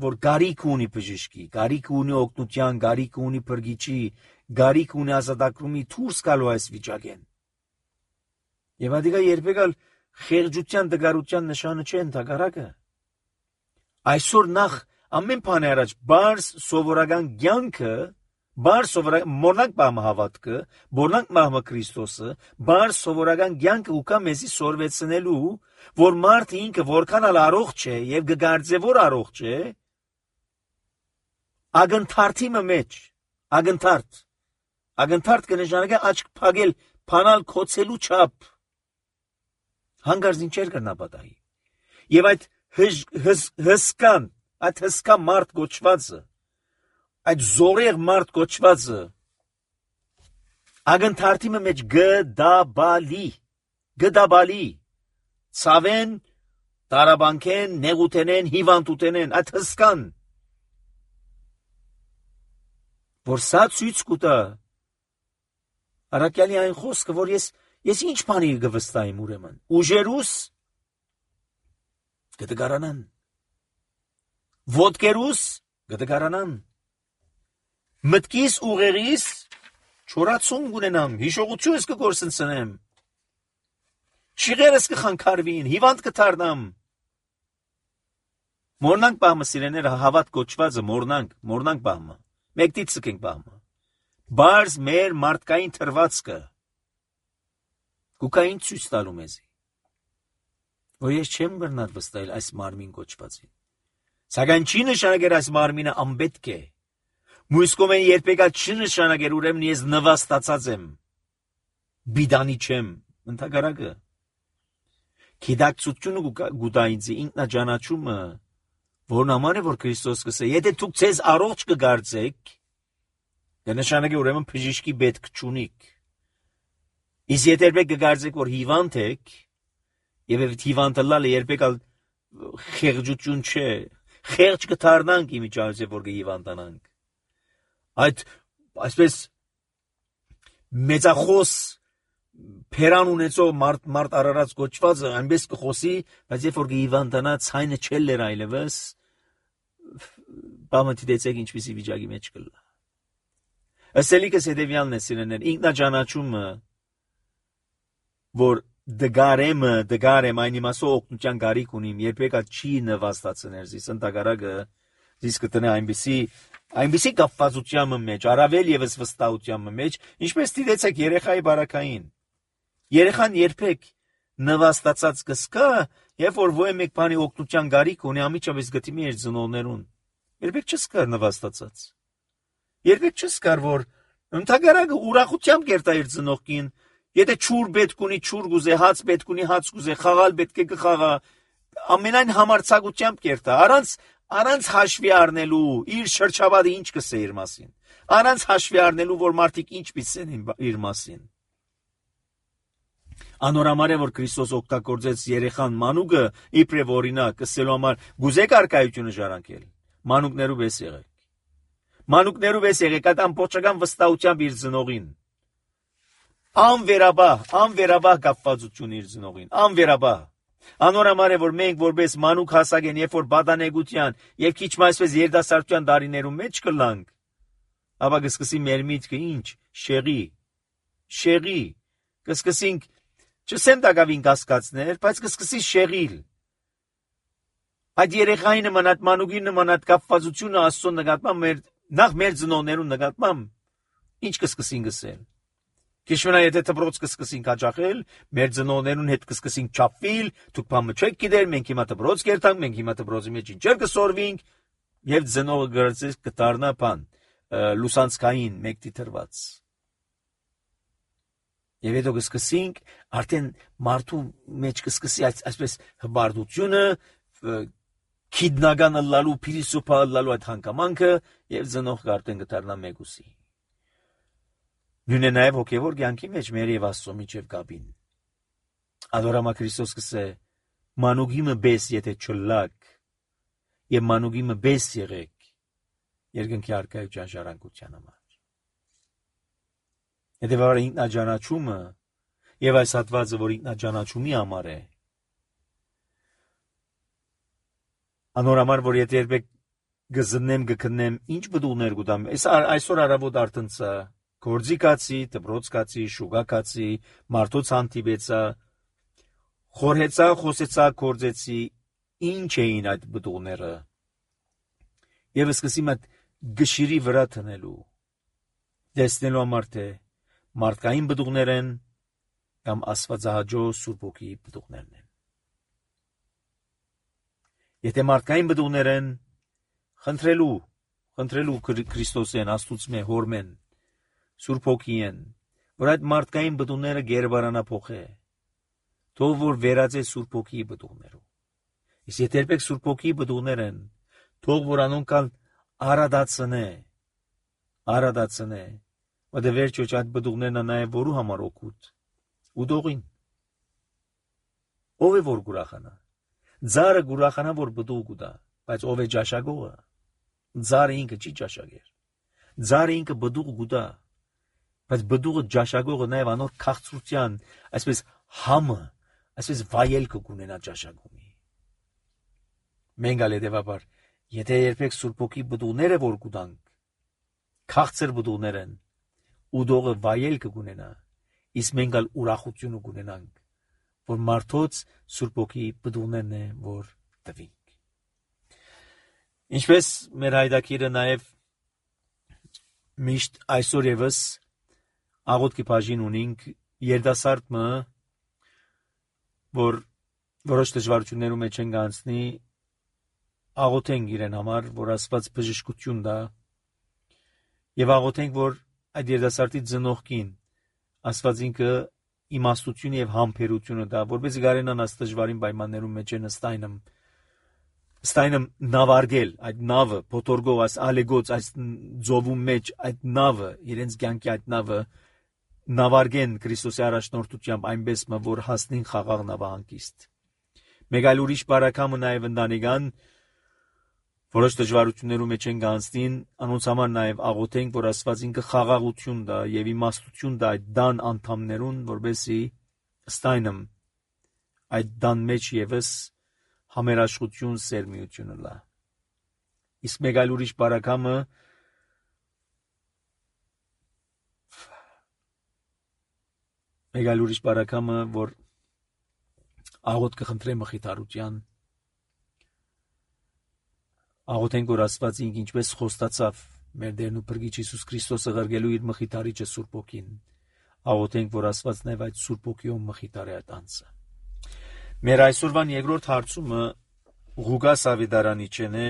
[SPEAKER 1] որ գարիք ունի բժշկի, գարիք ունի օգնության, գարիք ունի փրկիչի, գարիք ունի ազատագրումի դուրս գալու այս վիճակեն։ Եվ ադիգա երբեք ալ խեղճության դգարության նշանը չէ ընդհակառակը։ Այսօր նախ ամեն բանի առաջ բարձ սովորական կյանքը, բարձ սովորական մորնանք բամը հավատքը, մորնանք մահմը Քրիստոսը, բարձ սովորական կյանքը ուկա մեզի սորվեցնելու, որ մարդը ինքը որքան ալ առողջ է եւ կգարձե որ առողջ է, ագնթարթի մեջ, ագնթարթ, ագնթարթ կնշանակի աչք փակել, փանալ կոծելու չափ, հանգարց ինչեր կրնապատահի, եւ այդ հսկան, այդ հսկա մարդ գոչվածը, այդ զորեղ մարդ գոչվածը, ագնթարթի մեջ գդաբալի, գդաբալի, ցավեն, տարաբանքեն, նեղութենեն, հիվանդութենեն, այդ հսկան, որ սա ցույց կտա Արաքյալի այն խոսքը, որ ես ես ինչ բանի կվստահեմ ուրեմն, ուժերուս կդգարանան, ոտքերուս կդգարանան, մտքիս ուղերիս չորացում կունենամ, հիշողությունս կգործընծնեմ, շիղերս կխանգարվին, հիվանդ կդառնամ։ Մորնանք բամը սիրեները հավատ գոչվածը մորնանք, մորնանք բամը։ Մեկտից ցկենք բամը։ Բարձ մեր մարդկային թրվածքը կուկային ցույց տալու մեզի։ Որ ես չեմ գնալ վստահել այս մարմին գոչվածին։ Սակայն չի նշանակեր այս մարմինը անպետք է։ Մյուս կողմեն երբեք չի նշանակեր ուրեմն ես նվաստացած եմ։ Բիդանի չեմ, ընդհակառակը։ Գիտակցությունը գուտա ինձ ինքնաջանաչումը, որն համար է որ Քրիստոս կսե, եթե դուք ձեզ առողջ կգարձեք, կնշանակի ուրեմն բժշկի պետք չունիք։ Իսկ եթե երբեք կգարձեք, որ հիվանդ եք, եւ այդ հիվանդը լալը երբեք ալ խեղճություն չէ, խեղճ կդառնանք իմիջիայլոց որ կհիվանդանանք։ Այդ այսպես մեծախոս Փերան ունեցող մարդ մարդ արարած գոչվածը այնպես կխոսի, բայց երբ որ կհիվանդանա ցայնը չելեր այլևս, բամը դիտեցեք ինչպիսի վիճակի մեջ կլա։ Ասելիքս հետևյալն է սիրեներ, ինքնաճանաչումը, որ դգարեմը, դգարեմ այն իմասով օգնության գարիք ունիմ, երբեք չի նվաստացներ, զիս ընտագարագը, զիս կտնե այնպիսի, այնպիսի կապվածության մեջ, առավել եւս վստահության մեջ, ինչպես դիտեցեք երեխայի բարակային։ Երեխան երբեք նվաստացած կսկա, երբ որ ոյ մեկ բանի օգնության գարիք ունի, ամիջապես գտիմի իր ծնողներուն։ Երբեք չսկար նվաստացած։ Երբեք չսկար, որ ընդհանրակը ուրախությամբ կերտա իր ծնողքին, եթե ճուր պետք ունի ճուր գուզե, հաց պետք ունի հաց գուզե, խաղալ պետք է կխաղա, ամենայն համարձակությամբ կերտա, առանց առանց հաշվի առնելու իր շրջապատը ինչ կսե իր մասին, առանց հաշվի առնելու, որ մարդիկ ինչ պիտեն իր մասին։ Անորամար է, որ Քրիստոս օգտագործեց երեխան մանուկը իբրև օրինակ, ասելու համար գուզեք արկայությունը ժառանգել, մանուկներու պես եղեք։ Մանուկներու պես եղեք, այդ ամբողջական վստահությամբ իր ծնողին։ Անվերաբահ, անվերաբահ կապվածություն իր ծնողին, անվերաբահ։ Անորամար է, որ մենք որպես մանուկ հասակ են, երբ որ բադանեգության եւ քիչ այսպես երիտասարդության տարիներում մեջ կլանք, ապա կսկսի մեր միտքը ինչ, շեղի, շեղի, կսկսենք չսեմ դակավին կասկածներ, բայց կսկսի շեղիլ։ Այդ երեխայի նման, այդ մանուկի նման այդ կապվածությունը Աստծո նկատմամբ մեր նախ մեր ծնողներուն նկատմամբ ինչ կսկսին գսել։ Քիշվենա եթե դպրոց կսկսին հաճախել, մեր ծնողներուն հետ կսկսին չափվել, դուք բամը չեք գիտեր, մենք հիմա դպրոց կերտանք, մենք հիմա դպրոցի մեջ ինչեր կսորվինք, եւ ծնողը գրծես կդառնա բան, լուսանցքային մեկ դիտրված։ Եվ հետո կսկսենք արդեն մարդու մեջ կսկսի այսպես հբարդությունը, քիդնական լալու, փիլիսոփա լալու այդ հանգամանքը եւ ծնողը արդեն կդառնա մեգուսի։ Նույնը նաև հոգևոր կյանքի մեջ մեր եւ Աստծո միջև կապին։ Ադորամա Քրիստոս կսե մանուկիմը բես եթե չլակ եւ մանուկիմը բես եղեք երկնքի արքայության ժառանգության համար։ Հետևաբար ինքնաճանաչումը եւ այս հատվածը, որ ինքնաճանաչումի համար է, անորամար որ եթե երբեք գզնեմ գքնեմ ինչ բդուներ գուտամ, այսօր արավոտ արտնցա գործի կացի, դպրոց կացի, շուգա կացի, մարդոց հանդիպեցա, խորհեցա, խոսեցա, գործեցի, ինչ էին այդ բդուները։ Եվ սկսեմ այդ գշիրի վրա տնելու, տեսնելու համար թե մարդկային բդուներ են կամ աստվածահաճո Սուրբ Հոգի բդուներն են։ Եթե մարդկային բդուներ են, խնդրելու, խնդրելու Քրիստոսեն, Աստուծմե, Հորմեն, Սուրբ Հոգի են, որ այդ մարդկային բդուները գերբարանա փոխե, թող որ վերածե Սուրբ Հոգի բդուներով։ Իսկ եթե երբեք Սուրբ Հոգի բդուներ են, թող որ անոնքալ արադացնե, արադացնե, որ վերջոչ այդ բդուներն է նաև որու համար օգուտ, ուդողին։ Ով է որ գուրախանա։ Ձարը գուրախանա որ բդու գուտա, բայց ով է ճաշակողը։ Ձարը ինքը չի ճաշակեր։ Ձարը ինքը բդու գուտա, բայց բդուղը ճաշակողը նաև անոր քաղցրության, այսպես համը, այսպես վայելքը կունենա ճաշակումի։ Մենք ալ հետևաբար, եթե երբեք Սուրբ Հոգի բդուները որ գուտանք, քաղցր բդուներ են, ուդողը վայելքը կունենա, իսկ մենք ալ ուրախությունը կունենանք, որ մարդոց Սուրբ Հոգի բդուներն է որ տվինք։ Ինչպես մեր հայդակիրը նաև միշտ այսօր եւս աղոթքի բաժին ունենք երդասարտը, որ որոշ դժվարություններու մեջ են գանցնի, աղոթենք իրեն համար, որ Աստված բժշկություն տա, եւ աղոթենք, որ այդ երդասարտի ծնողքին Աստված ինքը իմաստություն եւ համբերությունը տա, որպեսզի կարենան այս դժվարին պայմաններում մեջ են ստայնեմ ստայնեմ նավարգել այդ նավը, փոթորգող այս ալեգոց այս ձովու մեջ այդ նավը, իրենց կյանքի այդ նավը նավարգեն Քրիստոսի առաջնորդությամբ այնպես մը որ հասնին խաղաղ նավահանգիստ։ Մեկ այլ ուրիշ բարակամը նաև ընտանեկան որոշ դժվարություններու մեջ են գանցնին, անոնց համար նաև աղոթենք, որ Աստված ինքը խաղաղություն տա եւ իմաստություն տա այդ դան անդամներուն, որբեսի ստայնեմ այդ դան մեջ եւս համերաշխություն սերմիությունը լա։ Իսկ մեկ այլ ուրիշ բարակամը մեկ այլ ուրիշ բարակամը, որ աղոտ կխնդրե մխիթարության, աղոթենք, որ Աստված ինք ինչպես խոստացավ մեր Տերն ու Փրկիչ Հիսուս Քրիստոսը ղրգելու իր մխիթարիչը Սուրբ Հոգին, աղոթենք, որ Աստված նաև այդ Սուրբ Հոգիով մխիթարի այդ անձը։ Մեր այսօրվան երկրորդ հարցումը Ղուկաս Ավետարանիչեն է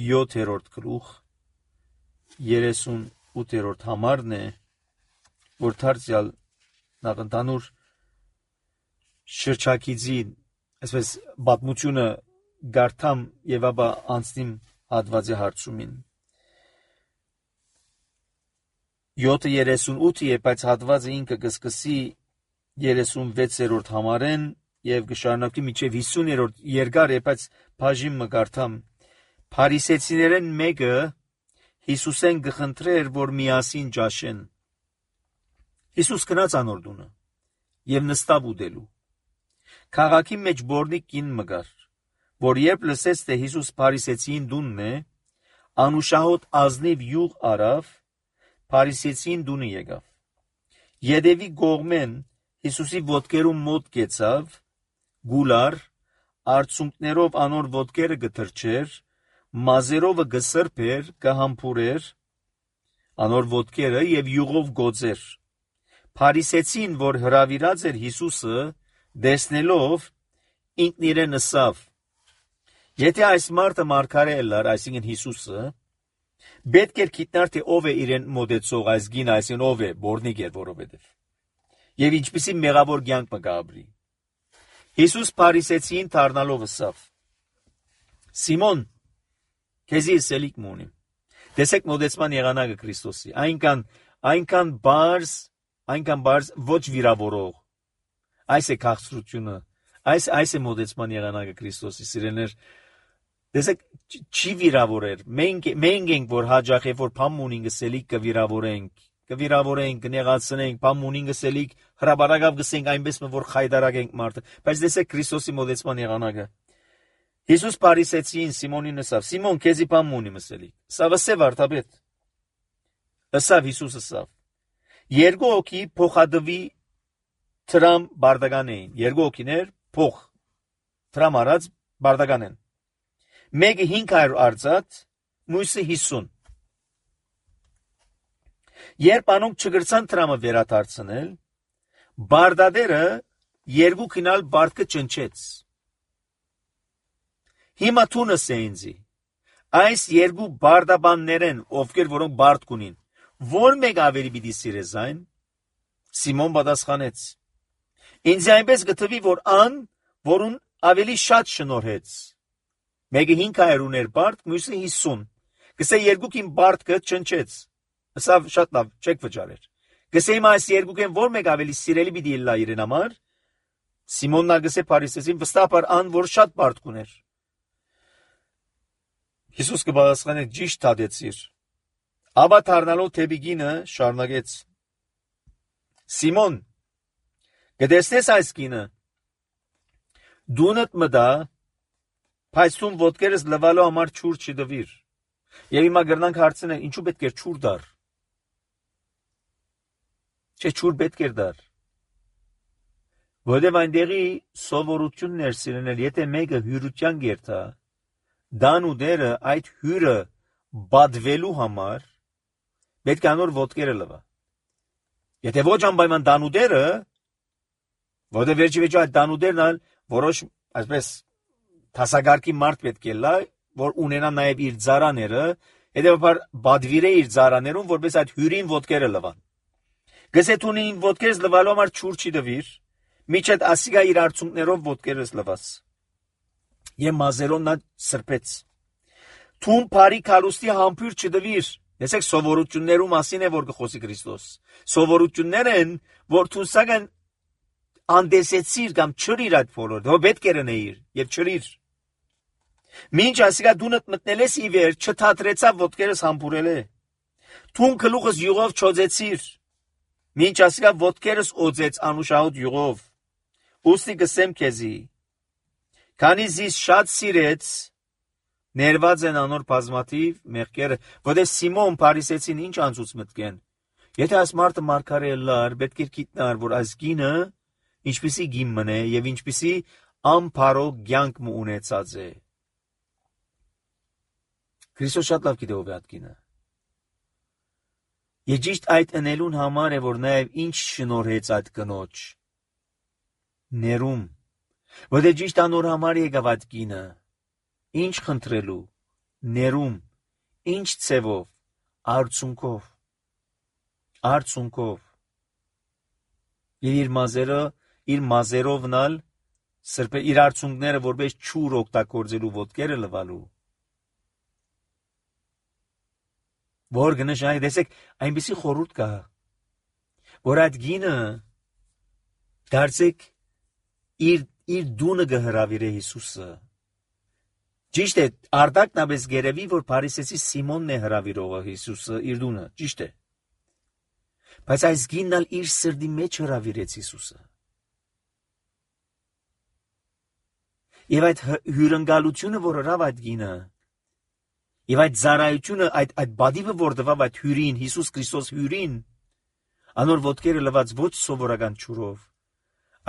[SPEAKER 1] յոթերորդ գլուխ երեսունութերորդ համարն է, որ դարձյալ նախընդանուր շրջակիցի, այսպես պատմությունը գարթամ եւ ապա անցնիմ հատվածի հարցումին։ յոթը երեսունութ է, բայց հատվածը ինքը կսկսի երեսունվեցերորդ համարեն եւ կշարունակի մինչեւ հիսուներորդ երկար է, բայց բաժին մը գարթամ։ Փարիսեցիներեն մեկը Հիսուսեն գխնդրեր, որ միասին ճաշեն։ Հիսուս գնաց անոր տունը եւ նստավ ուտելու։ Քաղաքի մեջ բորնիկ կին մգար, որ երբ լսեց, թե Հիսուս Փարիսեցին տունն է, անուշահոտ ազնիվ յուղ արավ, Փարիսեցին տունը եկավ։ Ետևի կողմեն Հիսուսի ոտքերում մոտ կեցավ, գուլար, արցունքներով անոր ոտքերը գթրջեր, մազերովը գսրբեր, կհամբուրեր անոր ոտքերը եւ յուղով գոծեր։ Փարիսեցին, որ հրավիրած էր Հիսուսը, դեսնելով ինքն իրեն ասավ. եթե այս մարդը մարգարե էր, այսինքն Հիսուսը, պետք էր գիտնար, թե ով է իրեն մոտեցող այս գին, այսինքն ով է, բորնիկ էր որովհետև, եւ ինչպիսի մեղավոր կյանք մը կապրի։ Հիսուս Փարիսեցին դառնալով ասավ. Սիմոն, քեզի սելիկ մունիմ։ Տեսեք մոտեցման եղանակը Քրիստոսի, այնքան այնքան բարձ, այնքան բարձ ոչ վիրավորող։ Այս է քաղցրությունը, այս այս է մոտեցման եղանակը Քրիստոսի, սիրելիներ։ Տեսեք, չի վիրավորեր։ Մենք մենք ենք, որ հաջող է, որ փամունին գսելիկ կվիրավորենք, կվիրավորենք, կնեղացնենք, փամունին գսելիկ հրաբարակավ գսենք այնպես, որ խայդարագենք մարդը։ Բայց տեսեք Քրիստոսի մոտեցման եղանակը։ Հիսուս Փարիսեցին Սիմոնին ասավ. Սիմոն, քեզի բան ունի մսելի։ Սա վսե վարդապետ։ Ասավ Հիսուս ասավ. երկու հոգի փոխադվի տրամ բարդական էին։ Երկու հոգիներ փոխ տրամ արած բարդական են։ Մեկը հինգ հարյուր արծաթ, մյուսը հիսուն։ Երբ անոնք չգրցան տրամը վերադարձնել, բարդադերը երկու քինալ բարդկը ճնչեց։ Հիմա թունս է ինձի, այս երկու բարդաբաններեն, ովքեր որոնք բարդ կունին, որ մեկ ավելի պիտի սիրես այն, Սիմոն պատասխանեց. ինձ այնպես գտվի, որ ան, որուն ավելի շատ շնորհեց։ Մեկը հինգ հարյուր ուներ բարդ, մյուսը հիսուն։ Գսե երկուքին բարդկը ճնչեց։ Ասավ շատ լավ, չեք վճարեր։ Գսե հիմա այս երկուքեն որ մեկ ավելի սիրելի պիտի լա իրեն համար։ Սիմոնն արգսե Փարիսեցին վստահաբար ան, որ շատ բարդ կուներ։ Հիսուս կպատասխանե ճիշտ հատեցիր։ Ապա դառնալով թեպի կինը շարունակեց. Սիմոն, կտեսնես այս կինը, դունդ մտա, բայց դու ոտքերս լվալու համար ջուր չդվիր։ Եվ հիմա գրնանք հարցնել, ինչու պետք էր ջուր դար։ Չէ, ջուր պետք էր դար։ Որտև այնտեղի սովորություններ սիրենել, եթե մեկը հյուրության գերտա, դանուդերը այդ հյուրը բադվելու համար պետք է անոր ոտքերը լվա։ Եթե ոչ անպայման դանուդերը, որտեղ վերջի վերջի այդ դանուդերն ալ որոշ այսպես տասագարկի մարդ պետք է լա, որ ունենա նաև իր ծառաները, հետևաբար բադվիրե իր ծառաներուն, որպես այդ հյուրին ոտքերը լվան։ Գսե թունին ոտքերս լվալու համար ջուր չի դվիր, միջդ ասիգա իր արցունքներով ոտքերս լվաց։ Եվ մազերով նա սրբեց։ Թուն բարի քարուստի համբույր չդվիր։ Տեսեք սովորություններու մասին է որ կխոսի Քրիստոս։ Սովորություններ են, որ թունսական անդեսեցիր կամ չրիր այդ բոլոր, դու պետք է ռնեիր եւ չրիր։ Մինչ ասիգա դունդ մտնելես ի վեր չթատրեցավ ոտքերս համբուրել է։ Թուն գլուխս յուղով չոծեցիր։ Մինչ ասիգա ոտքերս օծեց անուշահոտ յուղով։ Ուստի գսեմ քեզի։ Քանի զիս շատ սիրեց, ներված են անոր բազմաթիվ մեղքերը, որտեղ Սիմոն Փարիսեցին ինչ անցուց մտքեն։ Եթե այս մարդը մարգարե լար, պետք է գիտնար, որ այս գինը ինչպիսի գին մնե եւ ինչպիսի ամփարող կյանք մը ունեցած է։ Քրիստոս շատ լավ գիտե ով է այդ գինը։ Եվ ճիշտ այդ ընելուն համար է, որ նաև ինչ շնորհեց այդ կնոջ ներում, որտեղ ճիշտ անոր համար եկավ այդ գինը, ինչ խնդրելու, ներում, ինչ ցևով, արցունքով, արցունքով։ Եվ իր մազերը, իր մազերովնալ սրբե իր արցունքները որպես ճուր օգտագործելու ոտքերը լվալու։ Որ գնշάει, տեսեք, այնպեսի խորհուրդ կա, որ այդ գինը դարձեք իր իր դունը գհրավիրե Հիսուսը։ Ճիշտ է, արդակնաբես գերեվի, որ Փարիսեցի Սիմոնն է հրավիրողը Հիսուսը իր դունը, ճիշտ է։ Բայց այս գինն ալ իր սրդի մեջ հրավիրեց Հիսուսը։ Եվ այդ հյուրընկալությունը, որ հրավ այդ գինը, եւ այդ զարայությունը, այդ այդ բադիվը, որ դվավ այդ հյուրին, Հիսուս Քրիստոս հյուրին, անոր ոտքերը լված ոչ սովորական ճուրով,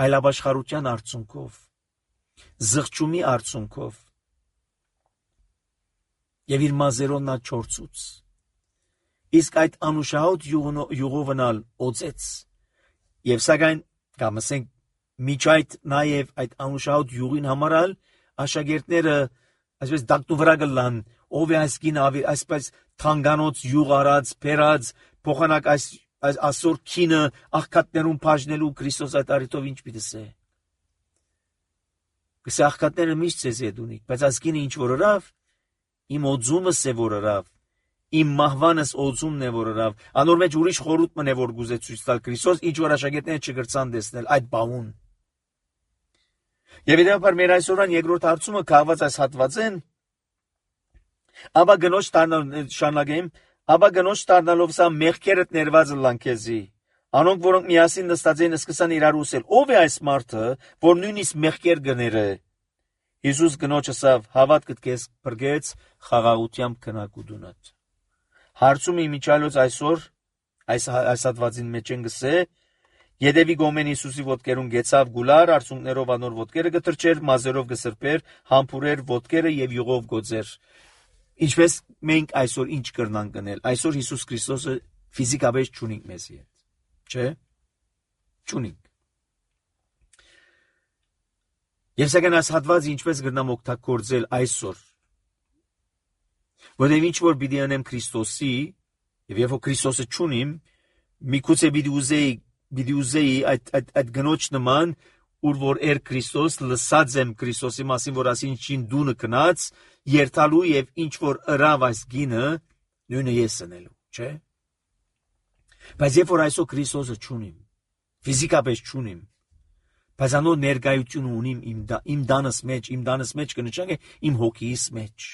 [SPEAKER 1] այլ ապաշխարության արցունքով, զղջումի արցունքով, եւ իր մազերով նա չորցուց։ Իսկ այդ անուշահոտ յուղովնալ օծեց, եւ սակայն կամ ասենք միջայդ նաեւ այդ անուշահոտ յուղին համարալ աշակերտները այսպես դակտու վրա գլան, ով է այս գինը այսպես թանգանոց յուղ արած, փերած, փոխանակ այս այսօր քինը աղքատներուն բաժնելու Քրիստոս այդ արիտով ինչ պիտի սե։ Կսե աղքատները միշտ ցեզ է դունիկ, բայց այս գինը ինչ որ հրավ, իմ օծումը սե որ հրավ, իմ մահվանս օծումն է որ հրավ, անոր մեջ ուրիշ խորհուրդ մն է որ գուզե ցույց տալ Քրիստոս, ինչ որ աշակերտները չգրցան տեսնել այդ բաուն։ Եվ իդեպ մեր այսօրան երկրորդ հարցումը կահված այս հատվածեն, ապա գնոջ դառնալ շարունակեմ, ապա գնոջ դառնալով սա մեղքերդ ներված լանքեզի, անոնք որոնք միասին նստած են սկսան իրար ուսել, ով է այս մարդը, որ նույնիսկ մեղքեր գները։ Հիսուս գնոջը ասավ, հավատքդ քեզ բրգեց, խաղաղությամբ քնակ ու դունդ։ Հարցում իմիջալոց այսօր այս այս հատվածին մեջ են գսե, Եդևի գոմեն Հիսուսի ոտքերուն գեցավ գուլար, արցունքներով անոր ոտքերը գտրճեր, մազերով գսրբեր, համբուրեր ոտքերը եւ յուղով գոծեր։ Ինչպես մենք այսօր ինչ կրնանք գնել։ Այսօր Հիսուս Քրիստոսը ֆիզիկապես չունենք մեզի հետ։ Չէ՞։ Չունենք։ Եվ սակայն այս հատվածը ինչպես կրնամ օգտագործել այսօր։ Որտեղ ինչ որ պիտի անեմ Քրիստոսի, եւ երբ որ Քրիստոսը չունիմ, միգուցե պիտի ուզեի Պիտի ուզեի այդ այդ այդ գնոջ նման, ուր որ էր Քրիստոս, լսած եմ Քրիստոսի մասին, որ ասին ինչ դունը կնած, երթալու եւ ինչ որ հրավ այս գինը, նույնը ես անելու, չէ՞։ Բայց երբ որ այսօր Քրիստոսը չունիմ, ֆիզիկապես չունիմ, բայց անոր ներկայությունը ունիմ իմ իմ դանս մեջ, իմ դանս մեջ կնշանակե իմ հոգիս մեջ։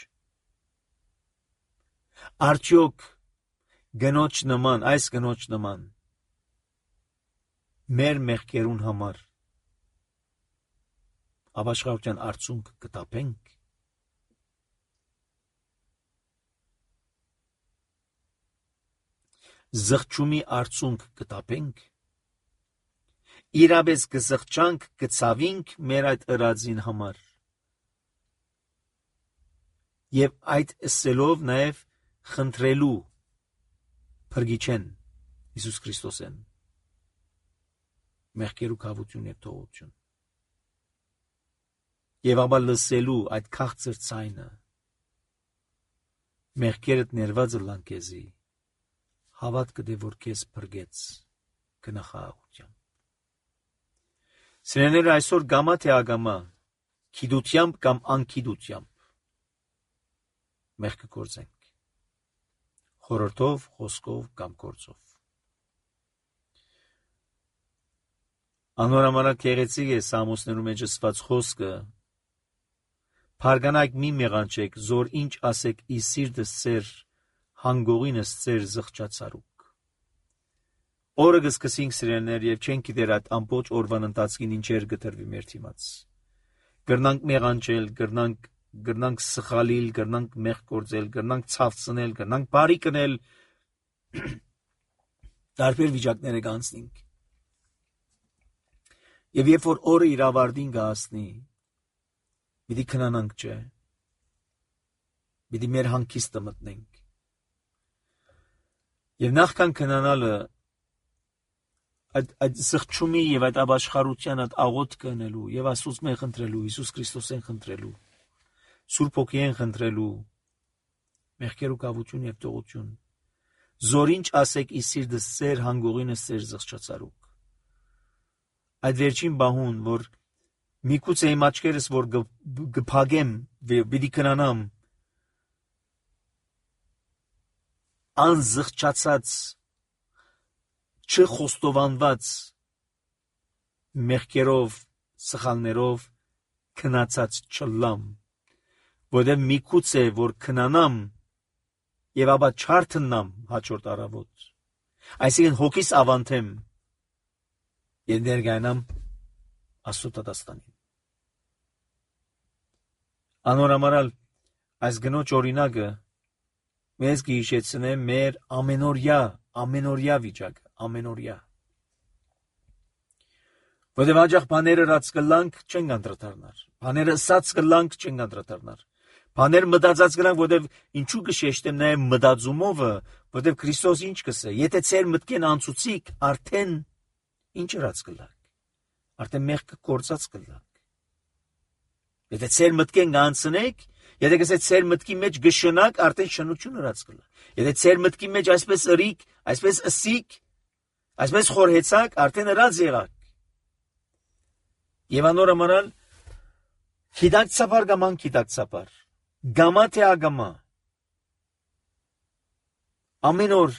[SPEAKER 1] Արդյոք գնոջ նման, այս գնոջ նման մեր մեղքերուն համար ապաշխարության արցունք կտապենք։ Զղջումի արցունք կտապենք։ Իրապես կզղջանք, կցավինք մեր այդ ըրածին համար։ Եվ այդ ասելով նաև խնդրելու փրկիչեն Հիսուս Քրիստոսեն մեղքերու կավություն եւ թողություն։ Եվ ապա լսելու այդ քաղցր ցայնը մեղքերդ ներված լանկեզի հավատքը դե որ քեզ փրկեց կնախահաղությամբ։ Սիրելիներ, այսօր գամա թե ագամա, քիդությամբ կամ անկիդությամբ մեղքը գործենք, խորհրդով, խոսքով կամ գործով։ Անորամարակ գեղեցիկ է Սամոսներու մեջ ասված խոսքը. Փարգանայք մի մեղանչեք, զոր ինչ ասեք ի սիրտս ծեր, հանգողինս ծեր զղջացարուկ։ Օրը կսկսենք սիրելիներ եւ չենք գիտեր այդ ամբողջ օրվան ընթացքին ինչեր գտրվի մեր թիմաց։ Գրնանք մեղանչել, գրնանք գրնանք սխալիլ, գրնանք մեղ գործել, գրնանք ցավցնել, գրնանք բարի կնել։ Տարբեր վիճակները կանցնենք։ Եվ երբ որ օրը իր ավարտին կհասնի, պիտի քնանանք, չէ։ Պիտի մեր հանգիստը մտնենք։ Եվ նախքան քնանալը այդ այդ սղճումի եւ այդ ապաշխարության այդ աղոթքը անելու եւ Աստծուց մեն խնդրելու, Հիսուս Քրիստոսեն խնդրելու, Սուրբ Հոգիեն խնդրելու, մեղքերու կավություն եւ տողություն։ Զորինչ ասեք ի սիրտս ծեր հանգողինս ծեր զղջացարուկ։ Այդ վերջին բահուն, որ միգուցե իմ աչքերս որ գփագեմ, պիտի քնանամ, անզղջացած, չխոստովանված մեղքերով, սխալներով քնացած չլամ, որտեղ միգուցե որ քնանամ եւ ապա չարթնամ հաջորդ առավոտ, այսինքն հոգիս ավանթեմ եւ ներգայանամ Աստծո տատաստանին։ Անորամարալ այս գնոջ օրինակը մեզ կհիշեցնե մեր ամենօրյա, ամենօրյա վիճակը, ամենօրյա։ Որտեղ աջախ բաները ռած կլանք չեն անդրադառնար, բաները սած կլանք չեն անդրադառնար, բաներ մտածած կլանք, որտեղ ինչու կշեշտեմ նաև մտածումովը, որտեղ Քրիստոս ինչ կսե, եթե ծեր մտքեն անցուցիկ, արդեն ինչ ռած կլանք, արդեն մեղքը կործած կլանք։ Եթե ծեր մտքեն անցնեք, եթե գսե ծեր մտքի մեջ գշնակ, արդեն շնություն հրած կլա։ Եթե ծեր մտքի մեջ այսպես ըրիկ, այսպես ըսիկ, այսպես խորհեցակ, արդեն հրած եղակ։ Եվ անորամարալ գիտակցաբար կամ անգիտակցաբար, գամա թե ագամա, ամեն օր,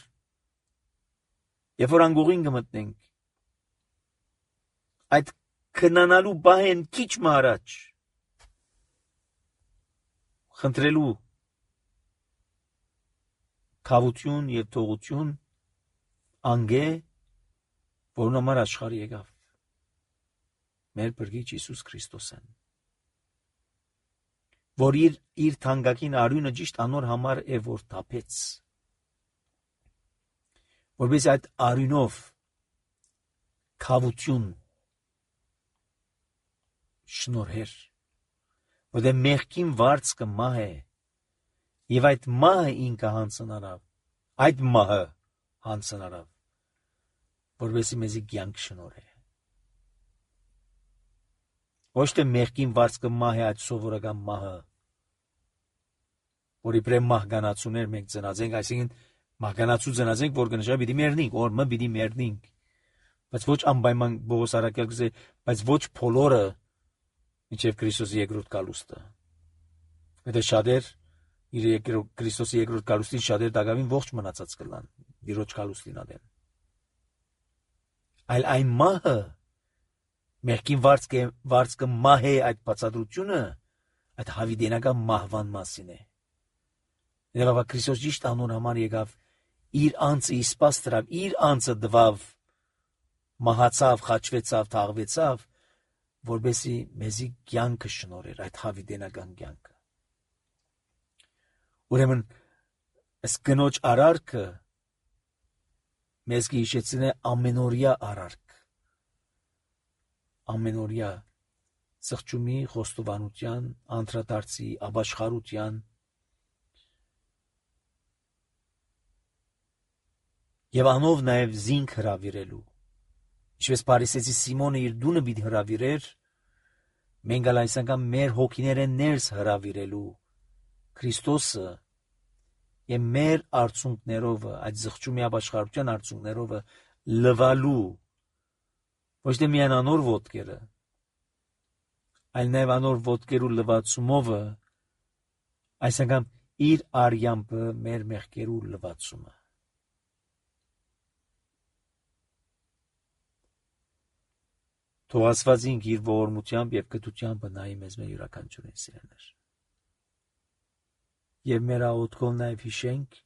[SPEAKER 1] երբ որ անգողին կմտնենք, այդ քնանալու բահեն քիչ մահարաջ, խնդրելու քավություն եւ թողություն անգե, որն համար աշխարհ եկավ մեր բրգիչ Հիսուս Քրիստոսեն, որ իր իր թանկագին արյունը ճիշտ անոր համար է որ թափեց, որպես այդ արյունով քավություն շնորհեր, որտեղ մեղքին վարձքը մահ է, եւ այդ մահը ինքը հանցնարավ, այդ մահը հանցնարավ, որովհետեւ մեզի կյանք շնորհե։ Ոչ թե մեղքին վարձքը մահ է այդ սովորական մահը, որի պրե մահկանացուներ մենք ծնածենք, այսինքն մահկանացու ծնածենք, որ կնշա պիտի մեռնենք, օրը պիտի մեռնենք, բայց ոչ անպայման Պողոս առաքյալ կսե, բայց ոչ բոլորը մինչև Քրիստոսի երկրորդ գալուստը։ Եթե շատեր իր Քրիստոսի երկրորդ գալուստին շատեր դակավին ողջ մնացած կլան իրոջ գալուստին ադեն։ Այլ այն մահը մեղքին վարձքը վարձքը մահ է այդ բացատրությունը այդ հավիտենական մահվան մասին է։ Եվ Քրիստոս ճիշտ անուն համար եկավ իր անձը իսպաս դրավ, իր անձը դվավ, մահացավ, խաչվեցավ, թաղվեցավ, որբեսի մեզի կյանքը շնորհեր, այդ հավիտենական կյանքը։ Ուրեմն այս կնոջ արարքը մեզ կհիշեցնե ամենօրյա արարք, ամենօրյա սղճումի, խոստովանության, անդրադարձի, ապաշխարության եւ անով նաեւ զինք հրավիրելու, ինչպես Փարիսեցի Սիմոնը իր դունը պիտի հրավիրեր, մենք ալ այս անգամ մեր հոգիներեն ներս հրավիրելու Քրիստոսը եւ մեր արցունքներով, այդ զղջումի ապաշխարության արցունքներով լվալու ոչ թե միայն անոր ոտքերը, այլ նաեւ անոր ոտքերու լվացումով այս անգամ իր արյամբը մեր մեղքերու լվացումը։ Թող Աստվածին իր ողորմությամբ եւ կտությամբ նայի մեզ մեր յուրաքանչյուրին սիրելիներ։ Եվ մեր աղոթքով նաեւ հիշենք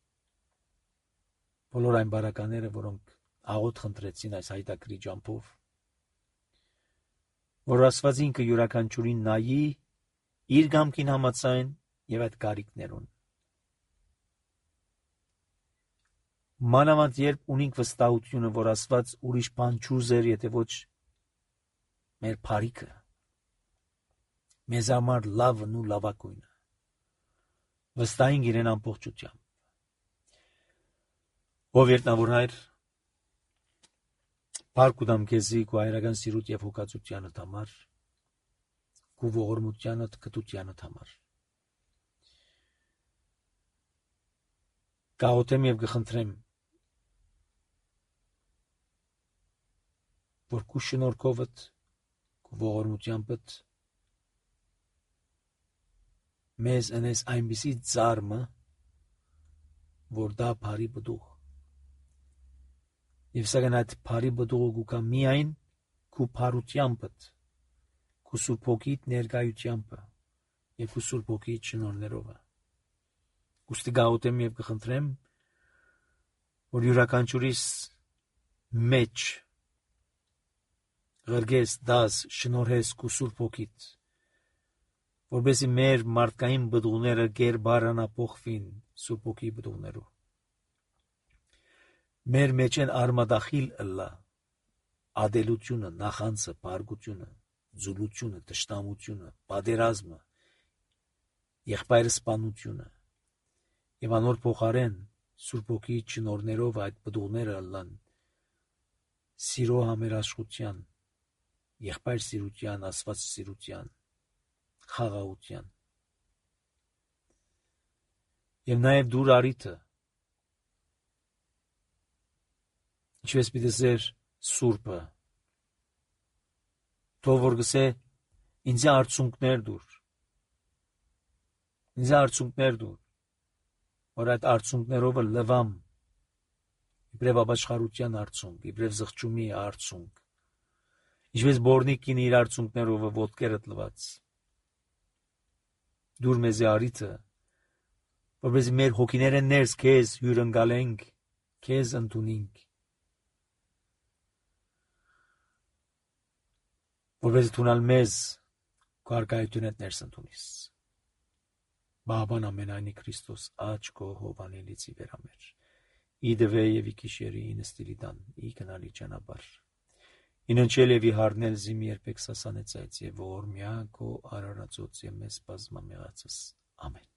[SPEAKER 1] բոլոր այն բարակաները, որոնք աղոթ խնդրեցին այս հայտակրի ջամփով, որ Աստվածին կը յուրաքանչյուրին նայի իր գամքին համաձայն եւ այդ կարիքներուն, մանավանդ երբ ունենք վստահությունը, որ Աստված ուրիշ բան չուզեր, եթե ոչ մեր բարիքը, մեզ համար լավն ու լավագույնը, վստահենք իրեն ամբողջությամբ։ Ով երտնավոր Հայր, փառք ուտամ քեզի քո հայրական սիրուտ եւ հոգացությանդ համար, քո ողորմությանդ, կտությանդ համար։ Գաղութեմ եւ գխնդրեմ, որ քո շնորհքովդ, քո ողորմությանդ մեզ ընես այնպիսի ծառմը, որ դա բարի բդուղ։ Եվ սակայն այդ բարի բդուղը գուկա միայն քո բարությանդ, քո Սուրբ Հոգիդ ներկայությամբ եւ քո Սուրբ Հոգիդ շնորհներով։ Ուստի գաղութեմ եւ կխնդրեմ, որ յուրաքանչյուրիս մեջ ղրգես դաս շնորհես քո Սուրբ Հոգիդ, որբեսի մեր մարդկային բդուղները գերբարանափոխվին Սուրբ Հոգի բդուղներով։ Մեր մեջ են արմադախիլ ըլլա ադելությունը, նախանցը, բարգությունը, ձուլությունը, տշտամությունը, պատերազմը, եղբայրսպանությունը եւ անոր փոխարեն Սուրբ Հոգի շնորհներով այդ բդուղները ըլլան սիրո համերաշխության, եղբայր սիրության, Աստված սիրության, խաղաղության։ Եվ նաեւ դուր արիթը, ինչպես պիտի զեր Սուրբը, թող որ գսե ինձ արցունքներ դուր, ինձ արցունքներ դուր, որ այդ արցունքներով լվամ, իբրև ապաշխարության արցունք, իբրև զղջումի արցունք, ինչպես բորնիկին իր արցունքներով ոտքերդ լված։ Դուր մեզ արիթը, որպեսզի մեր հոգիները ներս քեզ հյուրընկալենք, քեզ ընդունենք, որպեսզի թունալ մեզ քո արքայությունդ ներս ընդունիս։ Բաբան ամենայնի Քրիստոս աչ քո հովանելիցի վերամեր։ Իդվե եւ իքիշերի ինստիլիդան ի կնալի ճանապարհ։ Իննչել եւ իհարնել զիմի երբեք սասանեցայց եւ ողորմյա քո արարածոց եւ մեզ բազմամեղացս։ Ամեն։